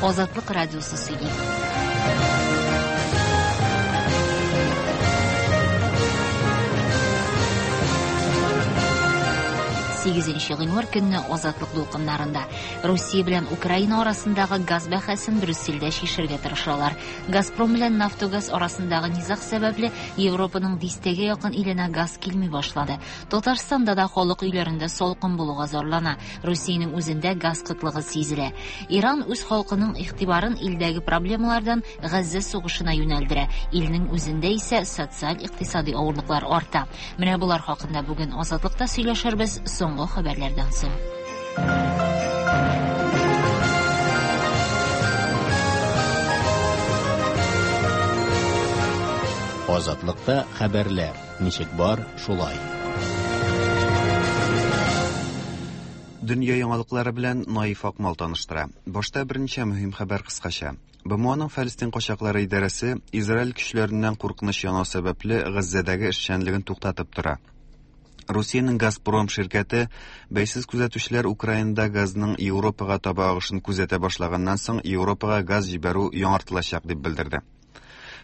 Азатлык радиосы сөйли. Сигезенче гыйнвар көнне Азатлык дулкыннарында Русия белән Украина арасындагы газ бәхәсен Брюссельдә чишергә тырышалар. Газпром белән Нафтогаз арасындагы низаг сәбәпле Европаның дистәгә якын иленә газ килми башлады. Татарстанда да халык өйләрендә салкын булуга зарлана. Русиянең үзендә газ кытлыгы сизелә. Иран үз халкының игътибарын илдәге проблемалардан Газзә сугышына юнәлдерә. Илнең үзендә исә социаль-икътисади авырлыклар арта. Менә болар хакында бүген Азатлыкта сөйләшербез соңгы хәбәрләрдән соң. Азатлыкта хәбәрләр. Ничек бар, шулай. Дөнья яңалыклары белән Наиф Акмал таныштыра. Башта берничә мөһим хәбәр кыскача. БМОның Фәлестин качаклары идарәсе Израиль көчләреннән куркыныч янау сәбәпле Газзәдәге эшчәнлеген туктатып тора. Русиянең Газпром ширкәте бәйсез күзәтүчеләр Украинада газның Европага таба агышын күзәтә башлаганнан соң Европага газ җибәрү яңартылачак дип белдерде.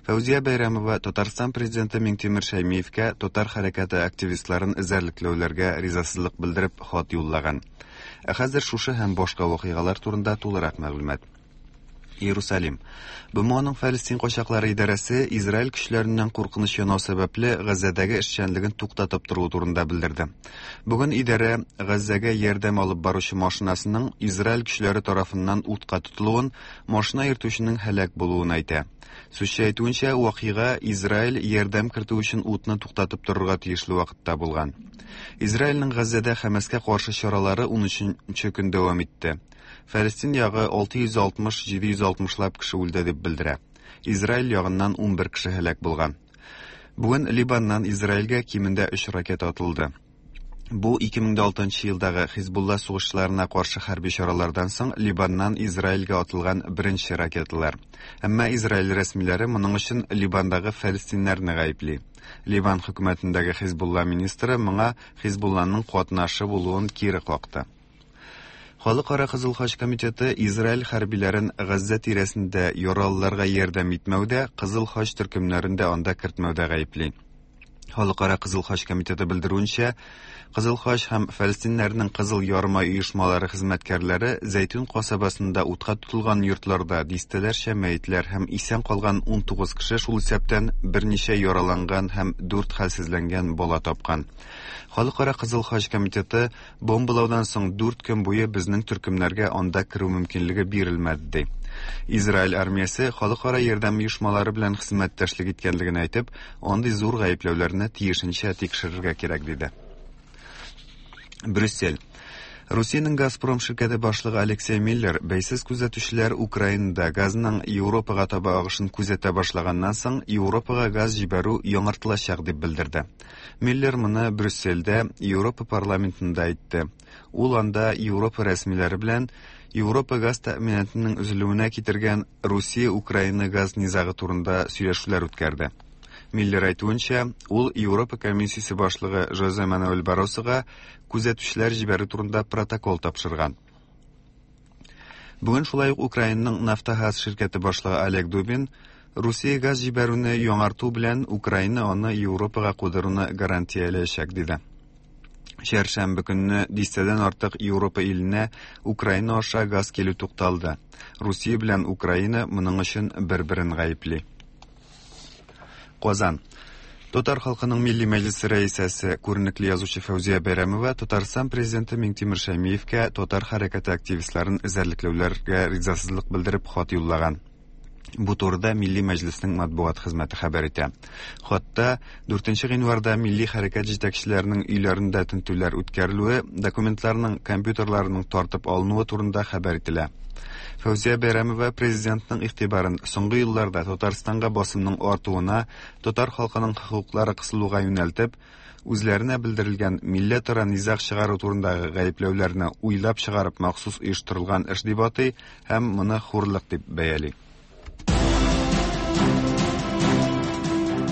Фәүзия Бәйрәмова Татарстан президенты Миңтимер Шәймиевкә татар хәрәкәте активистларын эзәрлекләүләргә ризасызлык белдереп хат юллаган. Ә хәзер шушы һәм башка вакыйгалар турында тулырак мәгълүмат. Иерусалим. БМОның Фәлестин качаклары идарәсе Израиль көчләреннән куркыныч янау сәбәпле Газзәдәге эшчәнлеген туктатып торуы турында белдерде. Бүген идарә Газзәгә ярдәм алып баручы машинасының Израиль көчләре тарафыннан утка тотылуын, машина йөртүченең һәлак булуын әйтә. Сүзче әйтүенчә, вакыйга Израиль ярдәм кертү өчен утны туктатып торырга тиешле вакытта булган. Израильнең Газзәдә Хәмәскә каршы чаралары 13 көн дәвам итте. Фәлестин ягы 660-760 лап кеше үлде дип белдерә. Израиль ягыннан 11 кеше һәлак булган. Бүген Либаннан Израильгә кимендә 3 ракета атылды. Бу 2006 елдагы Хизбулла сугышчыларына каршы хәрби чаралардан соң Либаннан Израильгә атылган беренче ракеталар. Әмма Израиль рәсмиләре моның өчен Либандагы фәлестиннәрне гаепли. Ливан хөкүмәтендәге Хизбулла министры моңа Хизбулланың катнашы булуын кире какты. Халыкара Кызыл Хач комитеты Израиль хәрбиләрен Газзә тирәсендә яралыларга ярдәм итмәүдә, Кызыл Хач төркемнәрен дә анда кертмәүдә гаепли. Халыкара Кызыл Хач комитеты белдерүенчә, Кызыл Хач һәм фәлестиннәрнең Кызыл Ярымай оешмалары хезмәткәрләре Зәйтүн касабасында утка тотылган йортларда дистәләрчә мәетләр һәм исән калган 19 кеше, шул исәптән берничә яраланган һәм дүрт хәлсезләнгән бала тапкан. Халыкара Кызыл Хач комитеты Бомбалаудан соң дүрт көн буе безнең төркемнәргә анда керү мөмкинлеге бирелмәде, ди. Израиль армиясе халыкара ярдәм оешмалары белән хезмәттәшлек иткәнлеген әйтеп, андый зур гаепләүләрне тиешенчә тикшерергә кирәк, диде. Брюссель. Русиянең Газпром ширкәте башлыгы Алексей Миллер бәйсез күзәтүчеләр Украинада газның Европага таба агышын күзәтә башлаганнан соң Европага газ җибәрү яңартылачак дип белдерде. Миллер моны Брюссельдә Европа парламентында әйтте. Ул анда Европа рәсмиләре белән Европа газ тәэминатының өзелүенә китергән Русия-Украина газ низагы турында сөйләшүләр үткәрде. Миллер әйтүенчә, ул Европа комиссиясе башлыгы Жозе Мануэль Барросога күзәтүчеләр җибәрү турында протокол тапшырган. Бүген шулай ук Украинаның Нафтогаз ширкәте башлыгы Олег Дубин Русия газ җибәрүне яңарту белән Украина аны Европага кудыруны гарантияләячәк, диде. Чәршәмбе көнне дистәдән артык Европа иленә Украина аша газ килү тукталды. Русия белән Украина моның өчен бер-берен гаепли. Казан. Татар халкының Милли мәҗлесе рәисәсе, күренекле язучы Фәүзия Бәйрәмова Татарстан президенты Миңтимер Шәймиевкә татар хәрәкәте активистларын эзәрлекләүләргә ризасызлык белдереп хат юллаган. Бу турыда Милли мәҗлеснең матбугат хезмәте хәбәр итә. Хатта 4 гыйнварда милли хәрәкәт җитәкчеләренең өйләрендә тентүләр үткәрелүе, документларның, компьютерларының тартып алынуы турында хәбәр ителә. Фәүзия Бәйрәмова президентның игътибарын соңгы елларда Татарстанга басымның артуына, татар халкының хокуклары кысылуга юнәлтеп, үзләренә белдерелгән милләтара низаг чыгару турындагы гаепләүләрне уйлап чыгарып махсус оештырылган эш дип атый һәм моны хурлык дип бәяли.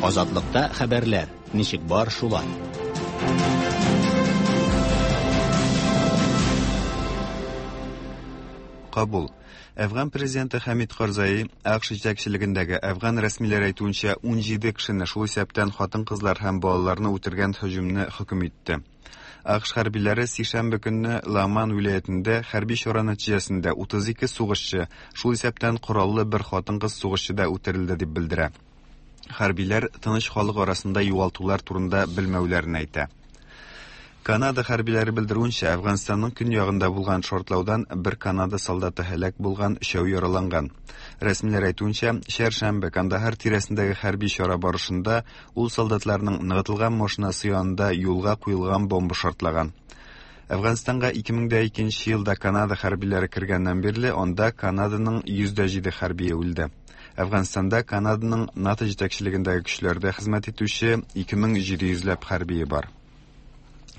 Азатлыкта хәбәрләр, ничек бар шулай. Кабул. Әфган президенты Хәмид Карзаи АКШ җитәкчелегендәге әфган рәсмиләре әйтүенчә 17 кешене, шул исәптән хатын-кызлар һәм балаларны үтергән һөҗүмне хөкем итте. АКШ хәрбиләре сишәмбе көнне Ламан вилаятендә хәрби чара нәтиҗәсендә 32 сугышчы, шул исәптән кораллы бер хатын-кыз сугышчы да үтерелде дип белдерә. Хәрбиләр тыныч халык арасында югалтулар турында белмәүләрен әйтә. Канада хәрбиләре белдерүенчә, Әфганстанның көньягында булган шартлаудан бер Канада солдаты һәлак булган, өчәү яраланган. Рәсмиләр әйтүенчә, чәршәмбе Кандахар тирәсендәге хәрби чара барышында ул солдатларның ныгытылган машинасы янында юлга куелган бомба шартлаган. Әфганстанга 2002 елда Канада хәрбиләре кергәннән бирле анда Канаданың 107 хәрбие үлде. Әфганстанда Канаданың НАТО җитәкчелегендәге көчләрдә хезмәт итүче 2700 ләп хәрбие бар.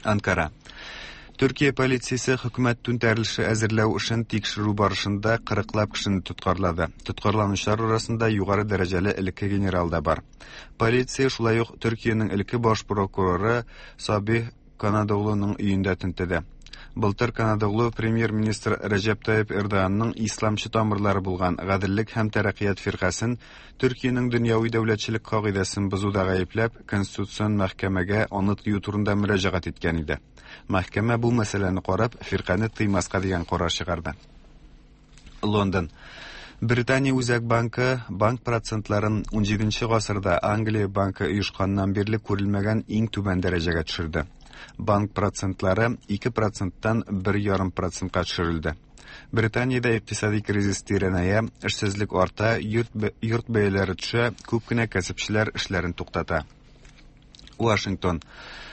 Анкара. Төркия полициясе хөкүмәт түнтәрелеше әзерләү эшен тикшерү барышында 40лап кешене тоткарлады. Тоткарланучылар арасында югары дәрәҗәле элекке генерал да бар. Полиция шулай ук Төркиянең элекке баш прокуроры Сабих Канадоглуның өендә тентеде. Былтыр Канадоглу премьер-министр Рәҗәп Тайип Эрдоганның исламчы тамырлары булган Гаделлек һәм тәрәккыят фиркасен Төркиянең дөньяви дәүләтчелек кагыйдәсен бозуда гаепләп, Конституцион мәхкәмәгә аны тыю турында мөрәҗәгать иткән иде. Мәхкәмә бу мәсьәләне карап, фиркане тыймаска дигән карар чыгарды. Лондон. Британия Үзәк банкы банк процентларын 17 гасырда Англия банкы оешканнан бирле күрелмәгән иң түбән дәрәҗәгә төшерде. Банк процентлары 2 проценттан 1,5 процентка төшерелде. Британиядә икътисади кризис тирәнәя, эшсезлек арта, йорт, йорт бәяләре төшә, күп кенә кәсепчеләр эшләрен туктата. Вашингтон.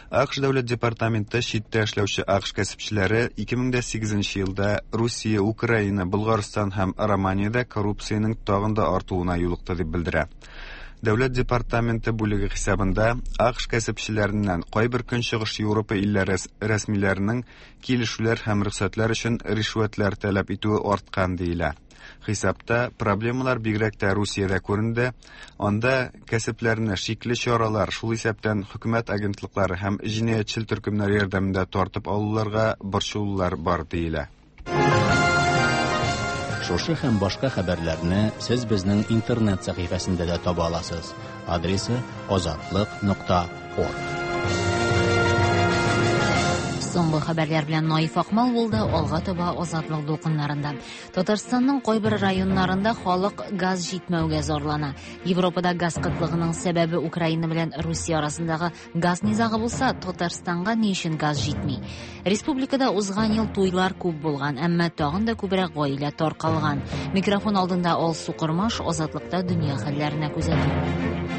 АКШ дәүләт департаменты читтә эшләүче АКШ кәсепчеләре 2008 елда Русия, Украина, Болгарстан һәм Романиядә коррупциянең тагын да артуына юлыкты дип белдерә. Дәүләт департаменты бүлеге хисабында АКШ кәсепчеләреннән кайбер Көнчыгыш Европа илләре рәсмиләренең килешүләр һәм рөхсәтләр өчен ришвәтләр таләп итүе арткан диелә. Хисапта проблемалар бигрәк тә Русиядә күренде. Анда кәсепләрне шикле чаралар, шул исәптән хөкүмәт агентлыклары һәм җинаятьчел төркемнәр ярдәмендә тартып алуларга борчылулар бар диелә. Шушы һәм башка хәбәрләрне сез безнең интернет сәхифәсендә дә таба аласыз. Адресы azatliq.org. Соңгы хәбәрләр белән Наиф Акмал булды, алга таба Азатлык дулкыннарында. Татарстанның кайбер районнарында халык газ җитмәүгә зарлана. Европада газ кытлыгының сәбәбе Украина белән Русия арасындагы газ низагы булса, Татарстанга ни өчен газ җитми? Республикада узган ел туйлар күп булган, әмма тагын да күбрәк гаилә таркалган. Микрофон алдында Алсу Кормаш, Азатлыкта дөнья хәлләренә күзәтү.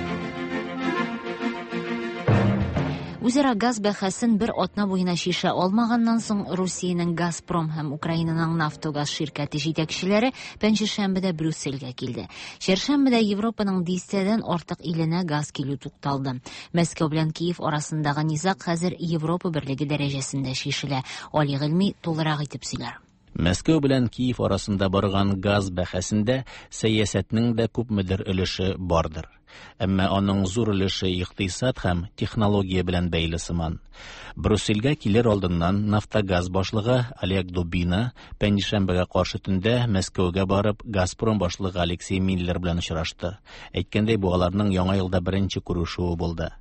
Үзара газ бәхәсен бер атна буена шиша алмаганнан соң Русиянең Газпром һәм Украинаның Нафтогаз ширкәте җитәкчеләре пәнҗешәмбедә Брюссельгә килде. Чәршәмбедә Европаның дистәдән артык иленә газ килү тукталды. Мәскәү белән Киев арасындагы низаг хәзер Европа берлеге дәрәҗәсендә шишелә. Али Гыйльми тулырак итеп сөйләр. Мәскәү белән Киев арасында барган газ бәхәсендә сәясәтнең дә күпмедер өлеше бардыр. Әмма аның зур өлеше икътисад һәм технология белән бәйле сыман. Брюссельгә килер алдыннан Нафтогаз башлыгы Олег Дубина пәнҗешәмбегә каршы төндә Мәскәүгә барып Газпром башлыгы Алексей Миллер белән очрашты. Әйткәндәй, бу аларның яңа елда беренче күрешүе булды.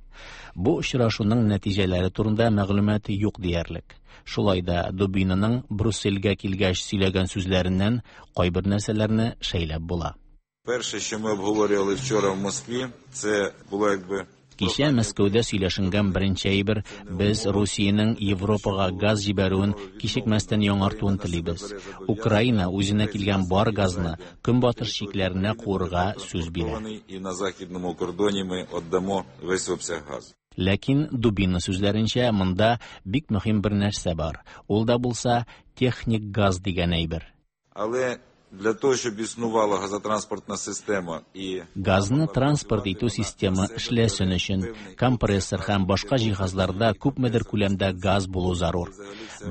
Бу очрашуның нәтиҗәләре турында мәгълүмат юк диярлек. Шулай да Дубинаның Брюссельгә килгәч сөйләгән сүзләреннән кайбер нәрсәләрне шәйләп була. Перше, що ми обговорювали вчора в Москві, це було якби Кичә Мәскәүдә сөйләшенгән беренче әйбер без Русиянең Европага газ җибәрүен кичекмәстән яңартуын телибез. Украина үзенә килгән бар газны көнбатыш чикләренә куырга сүз бирә. І на західному кордоні ми віддамо весь обсяг газу. Ләкин Дубина сүзләренчә монда бик мөһим бер нәрсә бар. Ул да булса техник газ дигән әйбер. Але для того, щоб існувала газотранспортна система і Газны транспорт итү системы эшләсен өчен компрессор һәм башка җиһазларда күпмедер күләмдә газ булу зарур.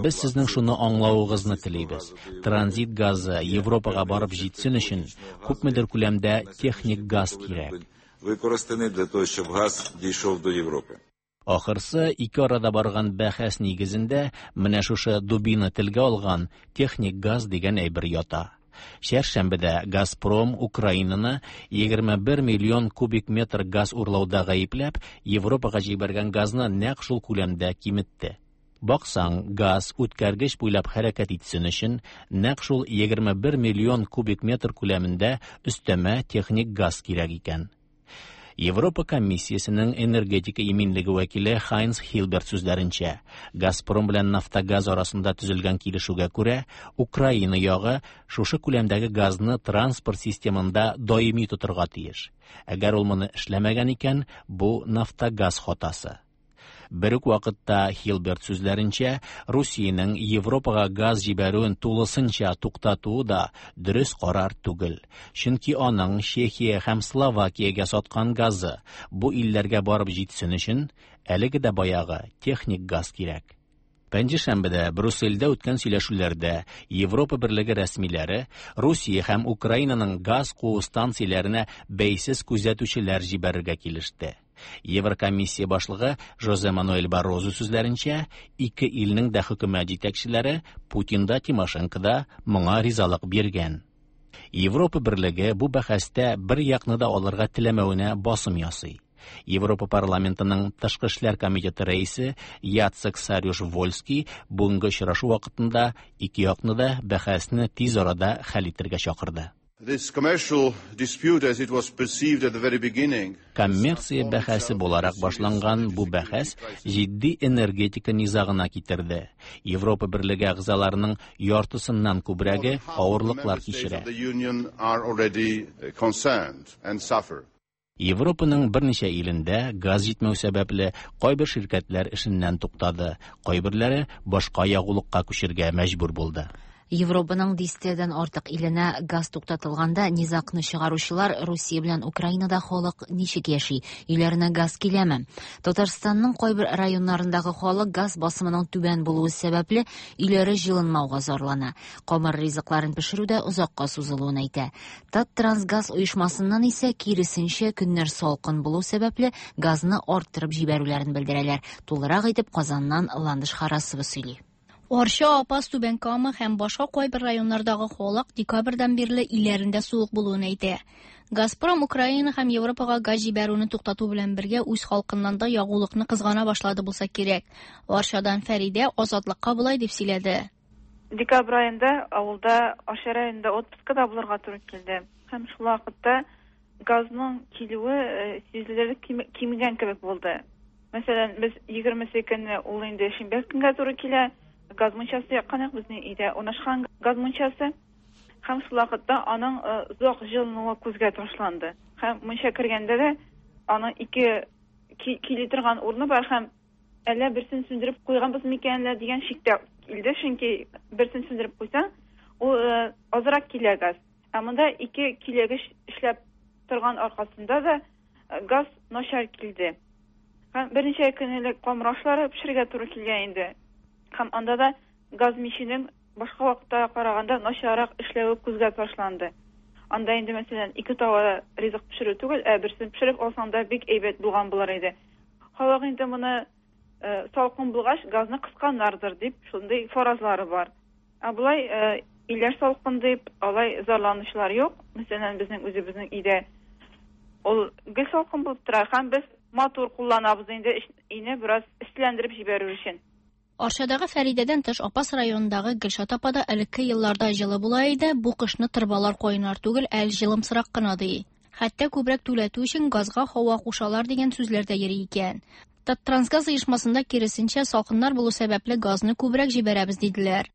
Без сезнең шуны аңлавыгызны телибез. Транзит газы Европага барып җитсен өчен күпмедер күләмдә техник газ кирәк. Використаний для того, щоб газ дійшов до Європи. Ахырсы ике арада барган бәхәс нигезендә менә шушы Дубина телгә алган техник газ дигән әйбер ята. Чәршәмбедә Газпром Украинаны 21 миллион кубик метр газ урлауда гаепләп, Европага җибәргән газны нәкъ шул күләмдә киметте. Баксаң, газ үткәргеч буйлап хәрәкәт итсен өчен нәкъ шул 21 миллион кубик метр күләмендә өстәмә техник газ кирәк икән. Европа комиссиясенең энергетика иминлеге вәкиле Хайнс Хилберт сүзләренчә, Газпром белән Нафтогаз арасында төзелгән килешүгә күрә, Украина ягы шушы күләмдәге газны транспорт системында даими тотырга тиеш. Әгәр ул моны эшләмәгән икән, бу Нафтогаз хатасы. Бер үк вакытта Хилберт сүзләренчә, Русиянең Европага газ җибәрүен тулысынча туктатуы да дөрес карар түгел. Чөнки аның Чехия һәм Словакиягә саткан газы бу илләргә барып җитсен өчен әлеге дә баягы техник газ кирәк. Пәнҗешәмбедә Брюссельдә үткән сөйләшүләрдә Европа Берлеге рәсмиләре Русия һәм Украинаның газ куу станцияләренә бәйсез күзәтүчеләр җибәрергә килеште. Еврокомиссия башлыгы Жозе Мануэль Баррозу сүзләренчә, ике илнең дә хөкүмәт җитәкчеләре Путин да Тимошенко да моңа ризалык биргән. Европа Берлеге бу бәхәстә бер якны да алырга теләмәвенә басым ясый. Европа парламентының тышкы эшләр комитеты рәисе Яцек Сарюш-Вольский бүгенге очрашу вакытында ике якны да бәхәсне тиз арада хәл итәргә чакырды. This commercial dispute, as it was perceived at the very beginning, Коммерция бәхәсе буларак башланган бу бәхәс җитди энергетика низагына китерде. Европа Берлеге әгъзаларының яртысыннан күбрәге авырлыклар кичерә. of the Union are already concerned and suffer. Европаның берничә илендә газ җитмәү сәбәпле кайбер ширкәтләр эшеннән туктады, кайберләре башка ягулыкка күчергә мәҗбүр булды. Европаның дистәдән артык иленә газ туктатылганда низагны чыгаручылар Русия белән Украинада халык ничек яши, өйләренә газ киләме? Татарстанның кайбер районнарындагы халык газ басымының түбән булуы сәбәпле өйләре җылынмауга зарлана. Камыр ризыкларын пешерү дә озакка сузылуын әйтә. Таттрансгаз оешмасыннан исә киресенчә көннәр салкын булу сәбәпле газны арттырып җибәрүләрен белдерәләр. Тулырак итеп Казаннан Ландыш Харасова сөйли. Арча, Апас, Түбән Кама һәм башка кайбер районнардагы халык декабрьдән бирле өйләрендә суык булуын әйтә. Газпром Украина һәм Европага газ җибәрүне туктату белән бергә үз халкыннан да ягулыкны кызгана башлады булса кирәк. Арчадан Фәридә Азатлыкка болай дип сөйләде. Декабрь аенда авылда Арча районында отпускада булырга туры килде. Һәм шул вакытта газның килүе сизелерлек кимегән кебек булды. Мәсәлән, без 20 көнне ул инде шимбә көнгә туры килә. Газ мунчасы яккан безнең өйдә урнашкан газ мунчасы. Һәм шул вакытта аның озак җылынуы күзгә ташланды. Һәм мунча кергәндә дә аның ике кили торган урыны бар һәм әллә берсен сүндереп куйганбыз микән әллә дигән шиктә килде, чөнки берсен сүндереп куйсаң, ул азрак килә газ. Ә монда ике килегеш эшләп торган аркасында да газ начар килде. Һәм берничә көн элек камыр ашлары пешерергә туры килгән инде. Һәм анда да газ миченең башка вакытта караганда начаррак эшләве күзгә ташланды. Анда инде, мәсәлән, ике таба ризык пешерү түгел, ә берсен пешереп алсаң да бик әйбәт булган булыр иде. Халык инде моны салкын булгач газны кысканнардыр дип шундый фаразлары бар. Ә болай өйләр салкын дип алай зарланучылар юк. Мәсәлән, безнең үзебезнең өйдә ул гел салкын булып тора һәм без матур кулланабыз инде өйне бераз эсселәндереп җибәрү өчен. Арчадагы Фәридәдән тыш Апас районындагы Гөлшат апа да элекке елларда җылы була иде, бу кышны торбалар кайнар түгел, әле җылымсырак кына ди. Хәтта күбрәк түләтү өчен газга һава кушалар дигән сүзләр дә йөри икән. Таттрансгаз оешмасында киресенчә салкыннар булу сәбәпле газны күбрәк җибәрәбез диделәр.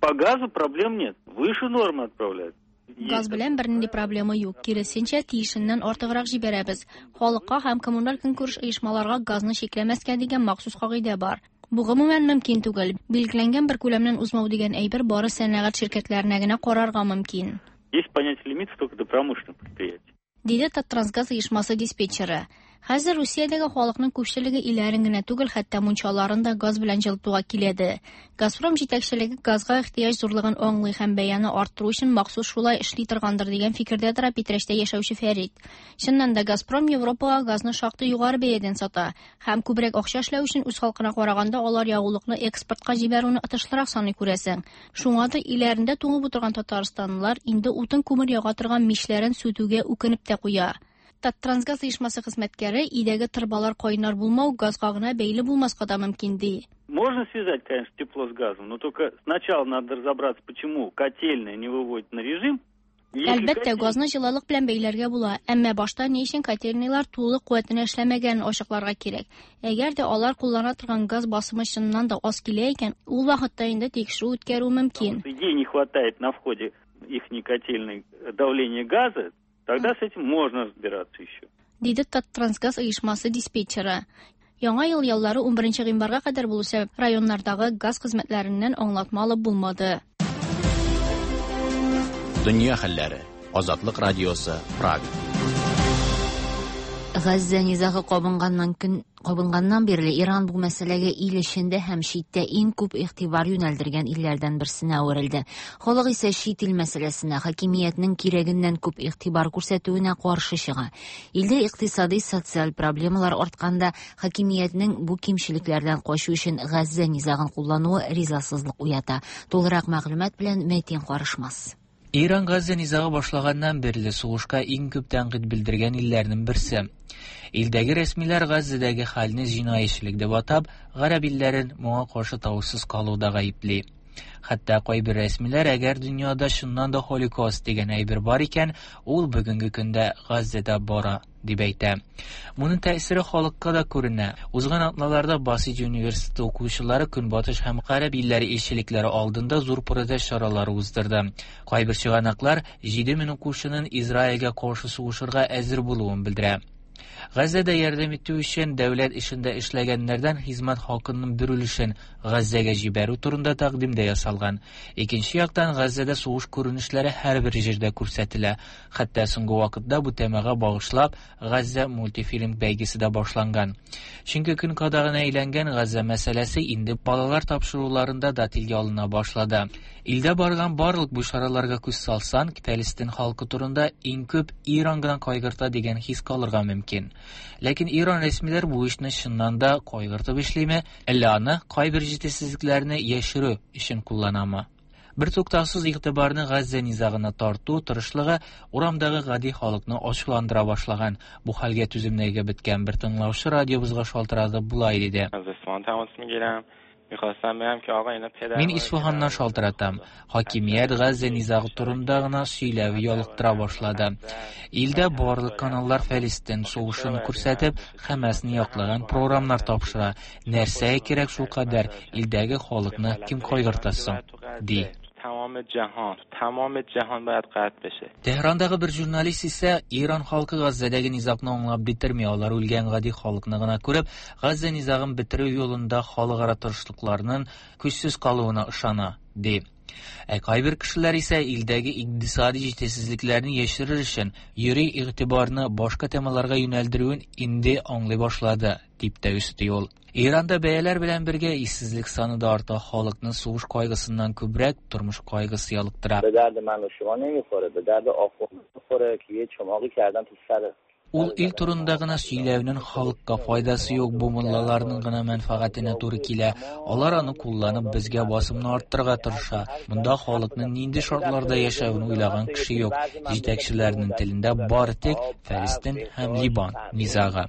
По газу проблем нет, выше нормы отправляют. Газ белән бернинди проблема юк. Киресенчә, тиешеннән артыграк җибәрәбез. Халыкка һәм коммуналь көнкүреш оешмаларга газны чикләмәскә дигән махсус кагыйдә бар. Бу гомумән мөмкин түгел. Билгеләнгән бер күләмнән узмау дигән әйбер бары сәнәгать ширкәтләренә генә карарга мөмкин. Есть понятие лимитов только до промышленных предприятий. Диде Таттрансгаз оешмасы диспетчеры. Хәзер Русиядәге халыкның күпчелеге өйләрен генә түгел, хәтта мунчаларын да газ белән җылытуга киләде. Газпром җитәкчелеге газга ихтыяҗ зурлыгын аңлый һәм бәяне арттыру өчен махсус шулай эшли торгандыр дигән фикердә тора Питрәчтә яшәүче Фәрит. Чыннан да Газпром Европага газны шактый югары бәядән сата һәм күбрәк акча эшләү өчен үз халкына караганда алар ягулыкны экспортка җибәрүне отышлырак саный күрәсең. Шуңа да өйләрендә туңып утырган татарстанлылар инде утын күмер яга торган мичләрен сүтүгә үкенеп тә куя. Таттрансгаз оешмасы хезмәткәре өйдәге торбалар кайнар булмау газга гына бәйле булмаска да мөмкин ди. Можно связать, конечно, тепло с газом, но только сначала надо разобраться, почему котельная не выводит на режим. Әлбәттә, газны җылылык белән бәйләргә була, әмма башта ни өчен котельныйлар тулы куәтенә эшләмәгәнен ачыкларга кирәк. Әгәр дә алар куллана торган газ басымы чыннан да аз килә икән, ул вакытта инде тикшерү үткәрү мөмкин. Ей не хватает на входе их котельной давления газа, тогда с этим можно разбираться еще. Диде Таттрансгаз оешмасы диспетчеры. Яңа ел яллары 11 гыйнварга кадәр булу сәбәп районнардагы газ хезмәтләреннән аңлатма алып булмады. Дөнья хәлләре. Азатлык радиосы, Прага. Газзә низагы кабынганнан бирле Иран бу мәсьәләгә ил эчендә һәм читтә иң күп игътибар юнәлдергән илләрдән берсенә әверелде. Халык исә чит ил мәсьәләсенә хакимиятнең кирәгеннән күп игътибар күрсәтүенә каршы чыга. Илдә икътисади, социаль проблемалар артканда хакимиятнең бу кимчелекләрдән качу өчен Газзә низагын куллануы ризасызлык уята. Тулырак мәгълүмат белән Мәтин Карышмас. Иран Газзә низагы башлаганнан бирле сугышка иң күп тәнкыйть белдергән илләрнең берсе. Илдәге рәсмиләр Газзәдәге хәлне җинаятьчелек дип атап, гарәп илләрен моңа каршы тавышсыз калуда гаепли. Хәтта кайбер рәсмиләр, әгәр дөньяда чыннан да Холокост дигән әйбер бар икән, ул бүгенге көндә Газзәдә бара, дип әйтә. Моның тәэсире халыкка да күренә. Узган атналарда Басиҗ университеты укучылары Көнбатыш һәм Гарәп илләре илчелекләре алдында зур протест чаралары уздырды. Кайбер чыганаклар 7000 укучының Израильгә каршы сугышырга әзер булуын белдерә. Газзәдә ярдәм итү өчен дәүләт эшендә эшләгәннәрдән хезмәт хакының бер өлешен Газзәгә җибәрү турында тәкъдим дә ясалган. Икенче яктан, Газзәдә сугыш күренешләре һәрбер җирдә күрсәтелә. Хәтта соңгы вакытта бу темага багышлап Газзә мультифильм бәйгесе дә башланган. Чөнки көн кадагына әйләнгән Газзә мәсьәләсе инде балалар тапшыруларында да телгә алына башлады. Илдә барган барлык бу чараларга күз салсаң, Палестин халкы турында иң күп Иран гына кайгырта дигән хис калырга мөмкин. Ләкин Иран рәсмиләр бу эшне чыннан да кайгыртып эшлиме, әллә аны кайбер җитешсезлекләрне яшерү өчен кулланамы? Бер туктаусыз игътибарны Газзә низагына тарту тырышлыгы урамдагы гади халыкны ачуландыра башлаган. Бу хәлгә түземлеге беткән бер тыңлаучы радиобызга шалтыратып болай диде. Мин Исфаханнан шалтыратам. Хакимият Газзә низагы турында гына сөйләве ялыктыра башлады. Илдә барлык каналлар Фәлестин сугышын күрсәтеп, Хәмәсне яклаган програмнар тапшыра. Нәрсәгә кирәк шул кадәр илдәге халыкны кем кайгырта соң? Ди. Тәһрандагы бер журналист исә Иран халкы Газзәдәге низагны аңлап бетерми, алар үлгән гади халыкны гына күреп, Газзә низагын бетерү юлында халыкара тырышлыкларның көчсез калуына ышана, ди. Ә кайбер кешеләр исә илдәге икътисади җитешсезлекләрне яшерер өчен йөри игътибарны башка темаларга юнәлдерүен инде аңлый башлады, дип тә өсти ул. Иранда бәяләр белән бергә ишсезлек саны да арта, халыкны сугыш кайгысыннан күбрәк тормыш кайгысы ялыктыра. Ул ил турында гына сөйләүнең халыкка файдасы юк, бу муллаларның гына мәнфәгатенә туры килә. Алар аны кулланып безгә басымны арттырырга тырыша. Монда халыкның нинди шартларда яшәвен уйлаган кеше юк. Җитәкчеләрнең телендә бары тик Фәлестин һәм Либан низагы.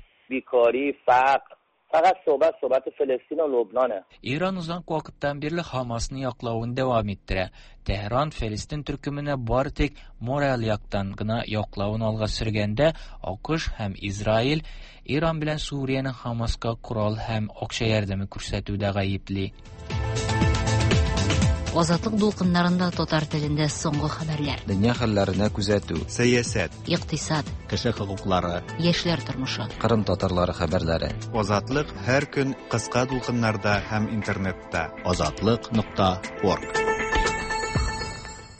Иран озак вакыттан бирле Хамасны яклавын дәвам иттерә. Тәһран Фәлестин төркеменә бары тик мораль яктан гына яклавын алга сөргәндә, АКШ һәм Израиль Иран белән Сүриянең Хамаска корал һәм акча ярдәме күрсәтүдә гаепли. Азатлык дулкыннарында татар телендә соңгы хәбәрләр. Дөнья хәлләренә күзәтү. Сәясәт. Икътисад. Кеше хокуклары. Яшьләр тормышы. Кырым татарлары хәбәрләре. Азатлык һәр көн кыска дулкыннарда һәм интернетта. Азатлык.орг.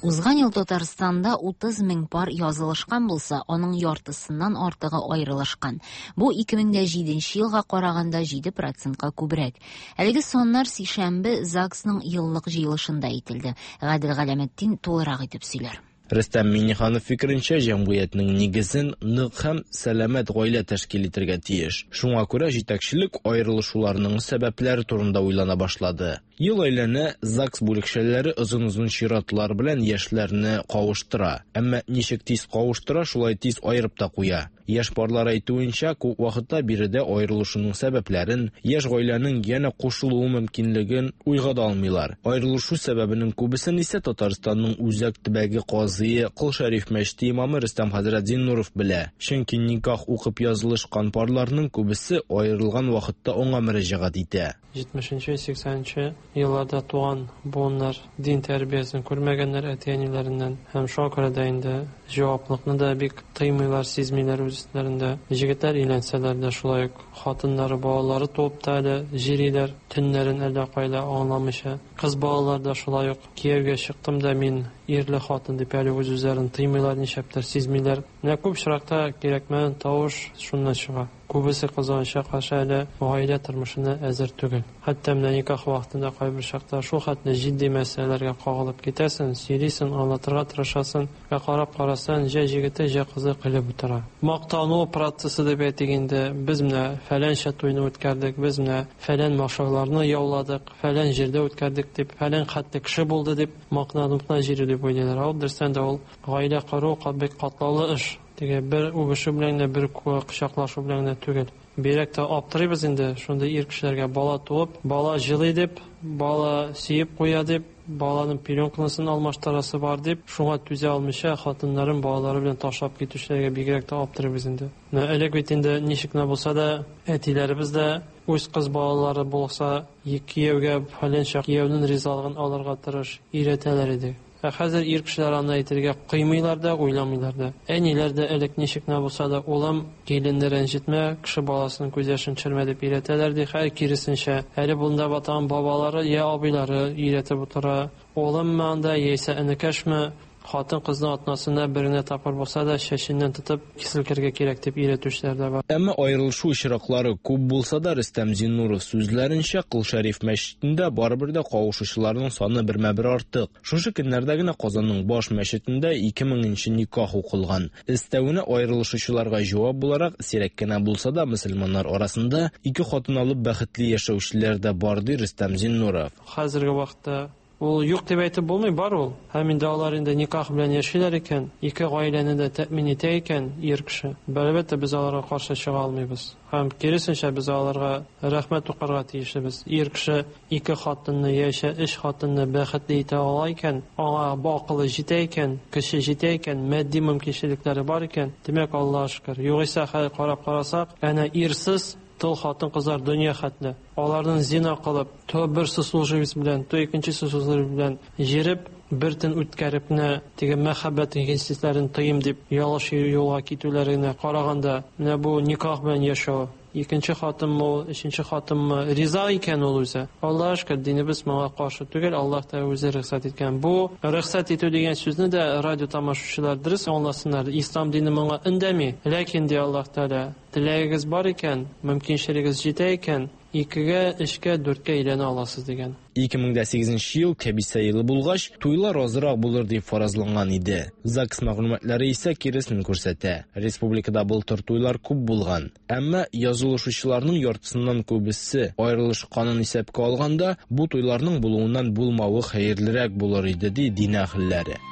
Узган ел Татарстанда 30 мең пар язылышкан булса, аның яртысыннан артыгы аерылышкан. Бу 2007 елга караганда 7 процентка күбрәк. Әлеге саннар сишәмбе ЗАГСның еллык җыелышында әйтелде. Гадел Галәметдин тулырак итеп сөйләр. Рөстәм Миңнеханов фикеренчә, җәмгыятьнең нигезен нык һәм сәламәт гаилә тәшкил итәргә тиеш. Шуңа күрә җитәкчелек аерылышуларның сәбәпләре турында уйлана башлады. Ел әйләнә ЗАГС бүлекчәләре озын-озын чиратлар белән яшьләрне кавыштыра. Әмма ничек тиз кавыштыра, шулай тиз аерып та куя. Яшь парлар әйтүенчә, күп вакытта биредә аерылышуның сәбәпләрен, яшь гаиләнең янә кушылуы мөмкинлеген уйга да алмыйлар. Аерылышу сәбәбенең күбесен исә Татарстанның үзәк төбәге казые Кол Шәриф мәчете имамы Рөстәм хәзрәт Зиннуров белә. Чөнки никах укып язылышкан парларның күбесе аерылган вакытта аңа мөрәҗәгать итә. 70-нче, 80-нче елларда туган буыннар дин тәрбиясен күрмәгәннәр әти-әниләреннән һәм шуңа күрә дә инде җаваплылыкны да бик тоймыйлар, сизмиләр үз өсләрендә. Җегетләр өйләнсәләр дә шулай ук хатыннары, балалары туып та әле җөриләр, төннәрен әллә кайда аңламыйча. Кыз балалар да шулай ук кияүгә чыктым да мин ирле хатын дип әле үз-үзләрен тыймыйлар, нишләптер сизмиләр. Менә күп очракта кирәкмәгән тавыш шуннан чыга. Күбесе кызганычка каршы әле гаилә тормышына әзер түгел. Хәтта менә никах вакытында кайбер чакта шул хәтле җитди мәсьәләләргә кагылып китәсең, сөйлисең, аңлатырга тырышасың, ә карап карасаң, җә җегете, җә кызы көлеп утыра. Мактану процессы дип әйтик инде, без менә фәләнчә туйны үткәрдек, без менә фәлән машарларны яуладык, фәлән җирдә үткәрдек дип, фәлән хәтле кеше булды дип мактанып кына җөрү дип уйлыйлар. Ә ул дөрестән дә ул гаилә кору бик катлаулы эш. Теге бер үбешү белән генә, бер кочаклашу белән генә түгел. Бигрәк тә аптырыйбыз инде шундый ир кешеләргә бала туып, бала җылый дип, бала сөеп куя дип, баланың пеленкасын алмаштырасы бар дип, шуңа түзә алмыйча хатыннарын балалары белән ташлап китүчеләргә бигрәк тә аптырыйбыз инде. Менә элек бит инде ничек кенә булса да, әтиләребез дә үз кыз балалары булса, кияүгә фәләнчә кияүнең ризалыгын алырга тырыш, өйрәтәләр иде. Ә хәзер ир кешеләр аны әйтергә кыймыйлар да, уйламыйлар да. Әниләр дә элек ничек кенә булса да, улым, киленне рәнҗетмә, кеше баласының күз яшен төшермә дип өйрәтәләр ди. Хәер, киресенчә, әле монда батаган бабалары я абыйлары өйрәтеп утыра. Улыммы анда, яисә энекәшме, хатын-кызның атнасына бер генә тапкыр булса да чәченнән тотып селкергә кирәк дип өйрәтүчеләр дә бар. Әмма аерылышу очраклары күп булса да, Рөстәм Зиннуров сүзләренчә, Кол Шәриф мәчетендә барыбер дә кавышучыларның саны бермә-бер артык. Шушы көннәрдә генә Казанның баш мәчетендә 2000 нче никах укылган. Өстәвенә аерылышучыларга җавап буларак, сирәк кенә булса да, мөселманнар арасында ике хатын алып бәхетле яшәүчеләр дә бар, ди Рөстәм Зиннуров. Хәзерге вакытта ул юк дип әйтеп булмый, бар ул. Һәм инде алар инде никах белән яшиләр икән, ике гаиләне дә тәэмин итә икән ир кеше, әлбәттә, без аларга каршы чыга алмыйбыз. Һәм киресенчә, без аларга рәхмәт укырга тиешлебез. Ир кеше ике хатынны яисә өч хатынны бәхетле итә ала икән, аңа акылы җитә икән, көче җитә икән, матди мөмкинчелекләре бар икән, димәк, Аллаһка шөкер. Югыйсә, хәзер карап карасак, әнә ирсез тол хатын-кызлар дөнья хәтле. Аларның зина кылып, то бер сослуживец белән, то икенче сослуживец белән җиреп, бер төн үткәреп кенә теге мәхәббәт хисләрен тоем дип ялгыш юлга китүләренә караганда, менә бу никах белән яшәү, икенче хатынмы ул, өченче хатынмы, риза икән ул үзе. Аллаһка шөкер, динебез моңа каршы түгел, Аллаһ та үзе рөхсәт иткән. Бу рөхсәт итү дигән сүзне дә радио тамашачылар дөрес аңласыннар. Ислам дине моңа өндәми. Ләкин ди Аллаһ Тәгалә, теләгегез бар икән, мөмкинчелегегез җитә икән, икегә, өчкә, дүрткә өйләнә аласыз дигән. 2008 ел кәбисә елы булгач, туйлар азрак булыр дип фаразланган иде. ЗАГС мәгълүматлары исә киресен күрсәтә. Республикада былтыр туйлар күп булган. Әмма язылышучыларның яртысыннан күбесе аерылышканын исәпкә алганда, бу туйларның булуыннан булмавы хәерлерәк булыр иде, ди дин әһелләре.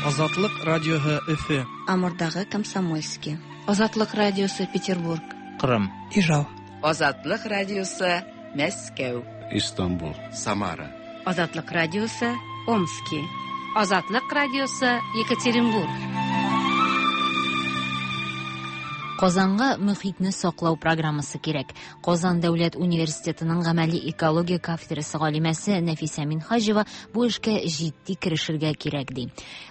Азатлык радиоһы Өфе. Амурдагы Комсомольский. Азатлык радиосы Петербург. Кырым. Ижау. Азатлык радиосы Мәскәү. Истанбул. Самара. Азатлык радиосы Омски. Азатлык радиосы Екатеринбург. Казанга мөхитне саклау программасы кирәк. Казан дәүләт университетының гамәли экология кафедрасы галимәсе Нәфисә Минһаҗева бу эшкә җитди керешергә кирәк ди.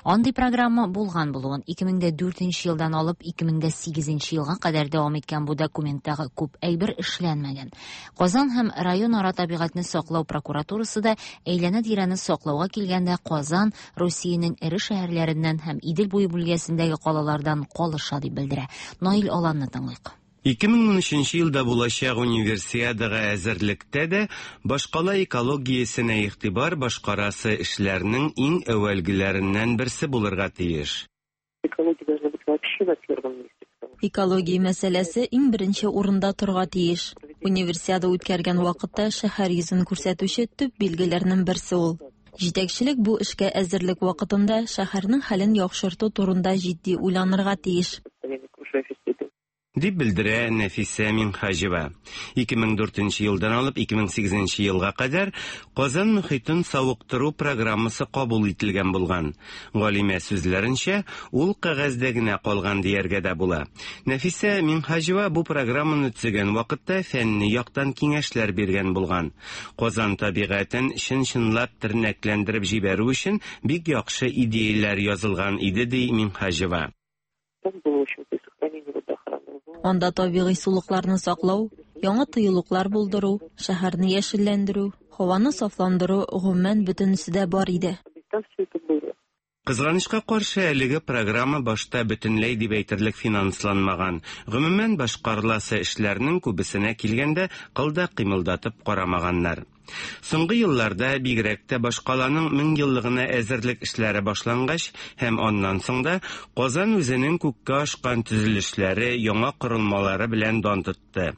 Андый программа булган булуын 2004 елдан алып 2008 елга кадәр дәвам иткән бу документтагы күп әйбер эшләнмәгән. Казан һәм районара табигатьне саклау прокуратурасы да әйләнә-тирәне саклауга килгәндә Казан Русиянең эре шәһәрләреннән һәм Идел буе бүлгәсендәге калалардан калыша дип белдерә. Наил Аланны тыңлыйк. 2013 елда булачак Универсиадага әзерлектә дә башкала экологиясенә игътибар башкарасы эшләрнең иң әүвәлгеләреннән берсе булырга тиеш. Экология должна быть вообще на первом месте. Экология мәсьәләсе иң беренче урында торырга тиеш. Универсиада үткәргән вакытта шәһәр йөзен күрсәтүче төп билгеләрнең берсе ул. Җитәкчелек бу эшкә әзерлек вакытында шәһәрнең хәлен яхшырту турында җитди уйланырга тиеш. Дип белдерә Нәфисә Минһаҗева. 2004 елдан алып 2008 елга кадәр Казан мөхитен савыктыру программасы кабул ителгән булган. Галимә сүзләренчә, ул кәгазьдә генә калган дияргә дә була. Нәфисә Минһаҗева бу программаны төзегән вакытта фәнни яктан киңәшләр биргән булган. Казан табигатен чын-чынлап тернәкләндереп җибәрү өчен бик яхшы идеяләр язылган иде, ди Минһаҗева. Анда табигый сулыкларны саклау, яңа тыюлыклар булдыру, шәһәрне яшелләндерү, һаваны сафландыру, гомумән, бөтенесе дә бар иде. Кызганычка каршы, әлеге программа башта бөтенләй дип әйтерлек финансланмаган. Гомумән, башкарыласы эшләрнең күбесенә килгәндә, кыл да кыймылдатып карамаганнар. Соңгы елларда, бигрәк тә башкаланың меңьеллыгына әзерлек эшләре башлангач һәм аннан соң да, Казан үзенең күккә ашкан төзелешләре, яңа корылмалары белән дан тотты.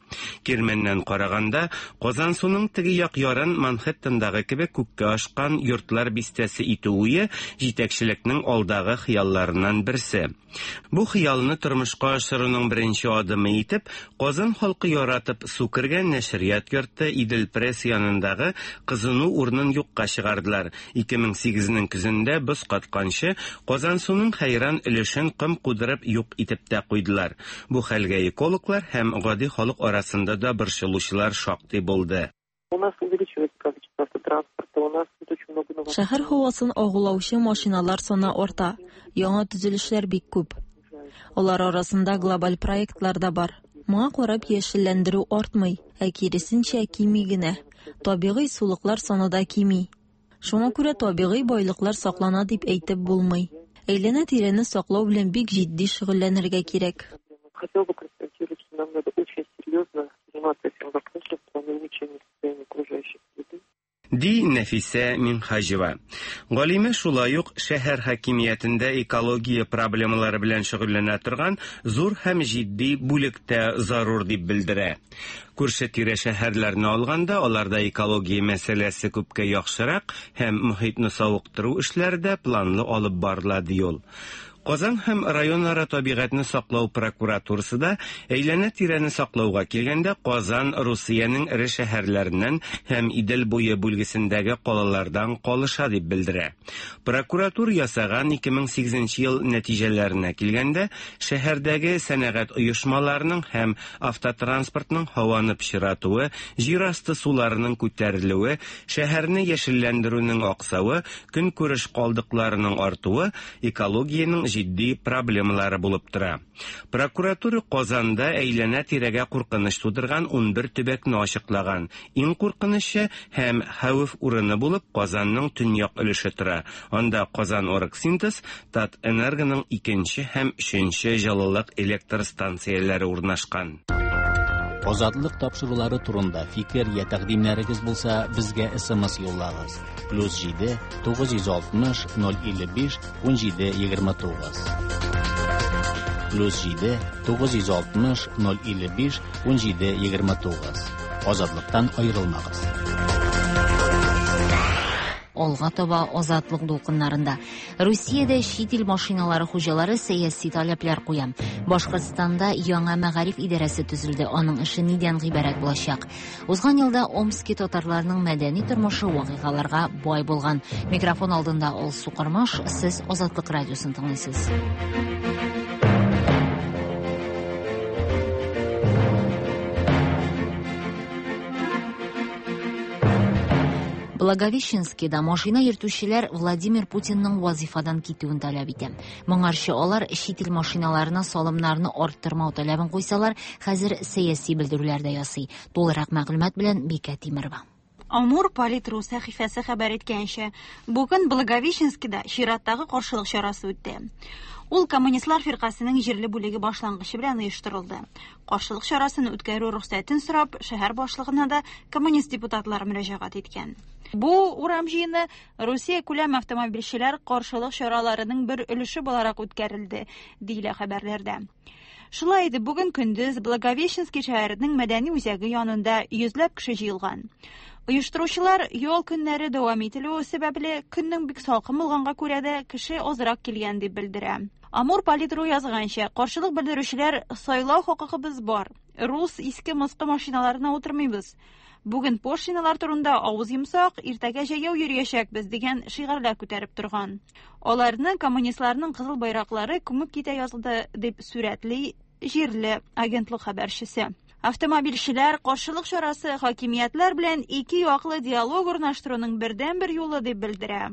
Кирмәннән караганда, Казансуның теге як ярын Манхэттендагы кебек күккә ашкан йортлар бистәсе итү уе җитәкчелекнең алдагы хыялларыннан берсе. Бу хыялны тормышка ашыруның беренче адымы итеп, Казан халкы яратып су кергән нәшрият йорты Идел-Пресс янындагы кызыну урынын юкка чыгардылар. 2008 нең көзендә боз катканчы, Казансуның хәйран өлешен ком кудырып юк итеп тә куйдылар. Бу хәлгә экологлар һәм гади халык арасында да борчылучылар шактый булды. У нас увеличивается количество автотранспорта, у нас тут очень много новых... Шәһәр һавасын агулаучы машиналар саны арта, яңа төзелешләр бик күп. Алар арасында глобаль проектлар да бар. Моңа карап яшелләндерү артмый, ә киресенчә кими генә. Табигый сулыклар саны да кими. Шуңа күрә табигый байлыклар саклана дип әйтеп булмый. Әйләнә-тирәне саклау белән бик җитди шөгыльләнергә кирәк. Хотела бы констатировать, что нам надо очень серьезно заниматься этим вопросом в плане улучшения состояния окружающей среды. Ди Нәфисә Минһаҗева. Галимә шулай ук шәһәр хакимиятендә экология проблемалары белән шөгыльләнә торган зур һәм җитди бүлек тә зарур дип белдерә. Күрше-тирә шәһәрләрне алганда, аларда экология мәсьәләсе күпкә яхшырак һәм мохитне савыктыру эшләре дә планлы алып барыла, ди ул. Казан һәм районара табигатьне саклау прокуратурасы да әйләнә-тирәне саклауга килгәндә Казан Русиянең эре шәһәрләреннән һәм Идел буе бүлгесендәге калалардан калыша дип белдерә. Прокуратура ясаган 2008 ел нәтиҗәләренә килгәндә, шәһәрдәге сәнәгать оешмаларының һәм автотранспортның һаваны пычратуы, җир асты суларының күтәрелүе, шәһәрне яшелләндерүнең аксавы, көнкүреш калдыкларының артуы экологиянең җитди проблемалары булып тора. Прокуратура Казанда әйләнә-тирәгә куркыныч тудырган 11 төбәкне ачыклаган. Иң куркынычы һәм хәвеф урыны булып Казанның төньяк өлеше тора. Анда Казан Оргсинтез, Татэнергоның икенче һәм өченче җылылык электр станцияләре урнашкан. Азатлык тапшырулары турында фикер я тәкъдимнәрегез булса, безгә SMS юллагыз. Плюс 7 960 055 17 29. Плюс 7 960 055 17 29. Азатлыктан аерылмагыз. Алга таба Азатлык дулкыннарында. Русиядә чит ил машиналары хуҗалары сәяси таләпләр куя. Башкортстанда яңа мәгариф идарәсе төзелде. Аның эше нидән гыйбарәт булачак? Узган елда Омски татарларының мәдәни тормышы вакыйгаларга бай булган. Микрофон алдында Алсу Кормаш, сез Азатлык радиосын тыңлыйсыз. Благовещенскида машина йөртүчеләр Владимир Путинның вазифадан китүен таләп итә. Моңарчы алар чит ил машиналарына салымнарны арттырмау таләбен куйсалар, хәзер сәяси белдерүләр дә ясый. Тулырак мәгълүмат белән Бикә Тимерова. Амур Политру сәхифәсе хәбәр иткәнчә, бүген Благовещенскида чираттагы каршылык чарасы үтте. Ул Коммунистлар фиркасенең җирле бүлеге башлангычы белән оештырылды. Каршылык чарасын үткәрү рөхсәтен сорап, шәһәр башлыгына да коммунист депутатлар мөрәҗәгать иткән. Бу урам җыены Русия күләм автомобильчеләр каршылык чараларының бер өлеше буларак үткәрелде, диелә хәбәрләрдә. Шулай итеп, бүген көндез Благовещенский шәһәренең мәдәни үзәге янында йөзләп кеше җыелган. Оештыручылар ял көннәре дәвам ителүе сәбәпле, көннең бик салкын булганга күрә дә кеше азрак килгән дип белдерә. Амур Политру язганча, каршылык белдерүчеләр сайлау хокукыбыз бар. Рус иске мыскы машиналарына утырмыйбыз. Бүген пошлиналар турында авыз йомсак, иртәгә җәяү йөриячәкбез дигән шигарьләр күтәреп торган. Аларны коммунистларның кызыл байраклары күмеп китә язды дип сурәтли җирле агентлык хәбәрчесе. Автомобильчеләр каршылык чарасы хакимиятләр белән ике яклы диалог урнаштыруның бердәнбер юлы дип белдерә.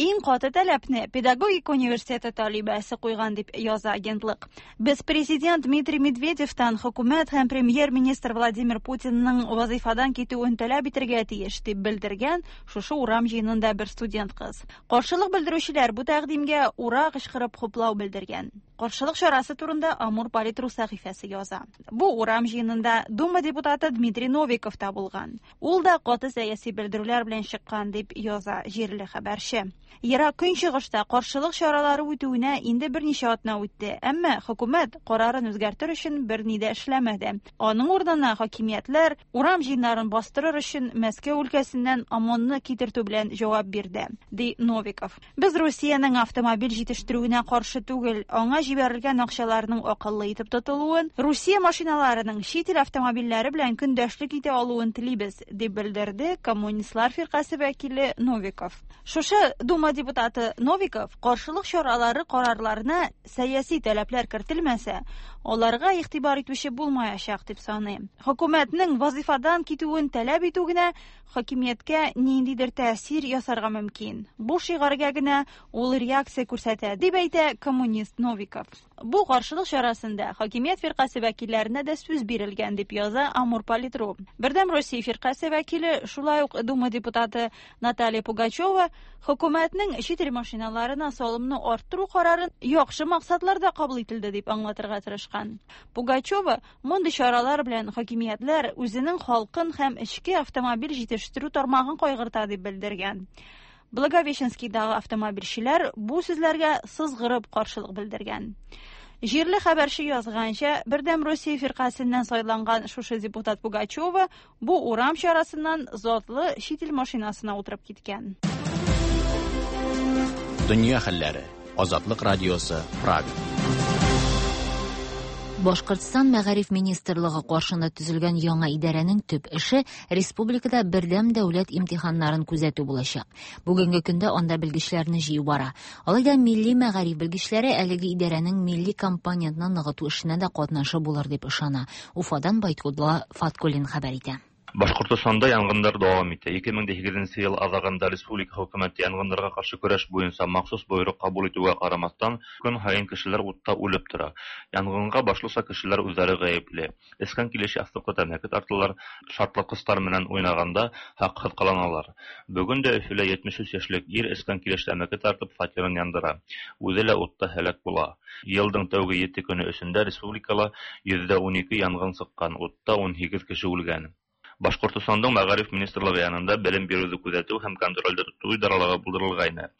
Иң каты таләпне педагогика университеты талибәсе куйган дип яза агентлык. Без президент Дмитрий Медведевтан хөкүмәт һәм премьер-министр Владимир Путинның вазыйфадан китүен таләп итәргә тиеш дип белдергән шушы урам җыенында бер студент кыз. Каршылык белдерүчеләр бу тәкъдимгә ура кычкырып хуплау белдергән. Каршылык чарасы турында Амур Политру сәхифәсе яза. Бу урам җыенында Дума депутаты Дмитрий Новиков та булган. Ул да каты сәяси белдерүләр белән чыккан, дип яза җирле хәбәрче. Ерак Көнчыгышта каршылык чаралары үтүенә инде берничә атна үтте, әмма хөкүмәт карарын үзгәртер өчен берни дә эшләмәде. Аның урынына хакимиятләр урам җыеннарын бастырыр өчен Мәскәү өлкәсеннән ОМОНны китертү белән җавап бирде, ди Новиков. Без Русиянең автомобиль җитештерүенә каршы түгел, аңа җибәрелгән акчаларның акыллы итеп тотылуын, Русия машиналарының чит ил автомобильләре белән көндәшлек итә алуын телибез, дип белдерде Коммунистлар фиркасе вәкиле Новиков. Шушы Дума депутаты Новиков каршылык чаралары карарларына сәяси таләпләр кертелмәсә, аларга игътибар итүче булмаячак дип саный. Хөкүмәтнең вазыйфадан китүен таләп итү генә хакимияткә ниндидер тәэсир ясарга мөмкин. Бу шигарьгә генә ул реакция күрсәтә, дип әйтә коммунист Новиков. Бу каршылык чарасында хакимият фиркасе вәкилләренә дә сүз бирелгән, дип яза Амур Политру. Бердәм Россия фиркасе вәкиле, шулай ук Дума депутаты Наталья Пугачева хөкүмәтнең чит ил машиналарына салымны арттыру карарын яхшы максатларда кабул ителде дип аңлатырга тырышкан. Пугачева Мондый чаралар белән хакимиятләр үзенең халкын һәм эчке автомобиль җитештерү тармагын кайгырта дип белдергән. Благовещенскийдагы автомобильчеләр бу сүзләргә сызгырып каршылык белдергән. Җирле хәбәрче язганча, Бердәм Русия фиркасеннән сайланган шушы депутат Пугачева бу урам чарасыннан затлы чит ил машинасына утырып киткән. Дөнья хәлләре. Азатлык радиосы, Прага. Башкортстан мәгариф министрлыгы каршында төзелгән яңа идарәнең төп эше республикада бердәм дәүләт имтиханнарын күзәтү булачак. Бүгенге көндә анда белгечләрне җыю бара. Алай да милли мәгариф белгечләре әлеге идарәнең милли компонентны ныгыту эшенә дә катнашы булыр дип ышана. Уфадан Байткулла Фаткуллин хәбәр итә. Башкортостанда янгыннар дәвам итә. 2008 ел азагында республика хөкүмәте янгыннарга каршы көрәш буенча махсус боерык кабул итүгә карамастан, көн һаен кешеләр утта үлеп тора. Янгынга башлыча кешеләр үзләре гаепле. Эчкән килеш ястыкта тәмәке тарталар, шартлаткычлар белән уйнаганда хаксыз кыланалар. Бүген дә Өфөлә 73 яшьлек ир эчкән килеш тәмәке тартып фатирын яндыра. Үзе лә утта һәлак була. Елның тәүге ете көне эчендә республикала 112 янгын чыккан, утта 18 кеше үлгән. Башкортостандың мәгариф министрлыгы янында белем бирүне күзәтү һәм контрольдә тоту идаралыгы булдырылгайны.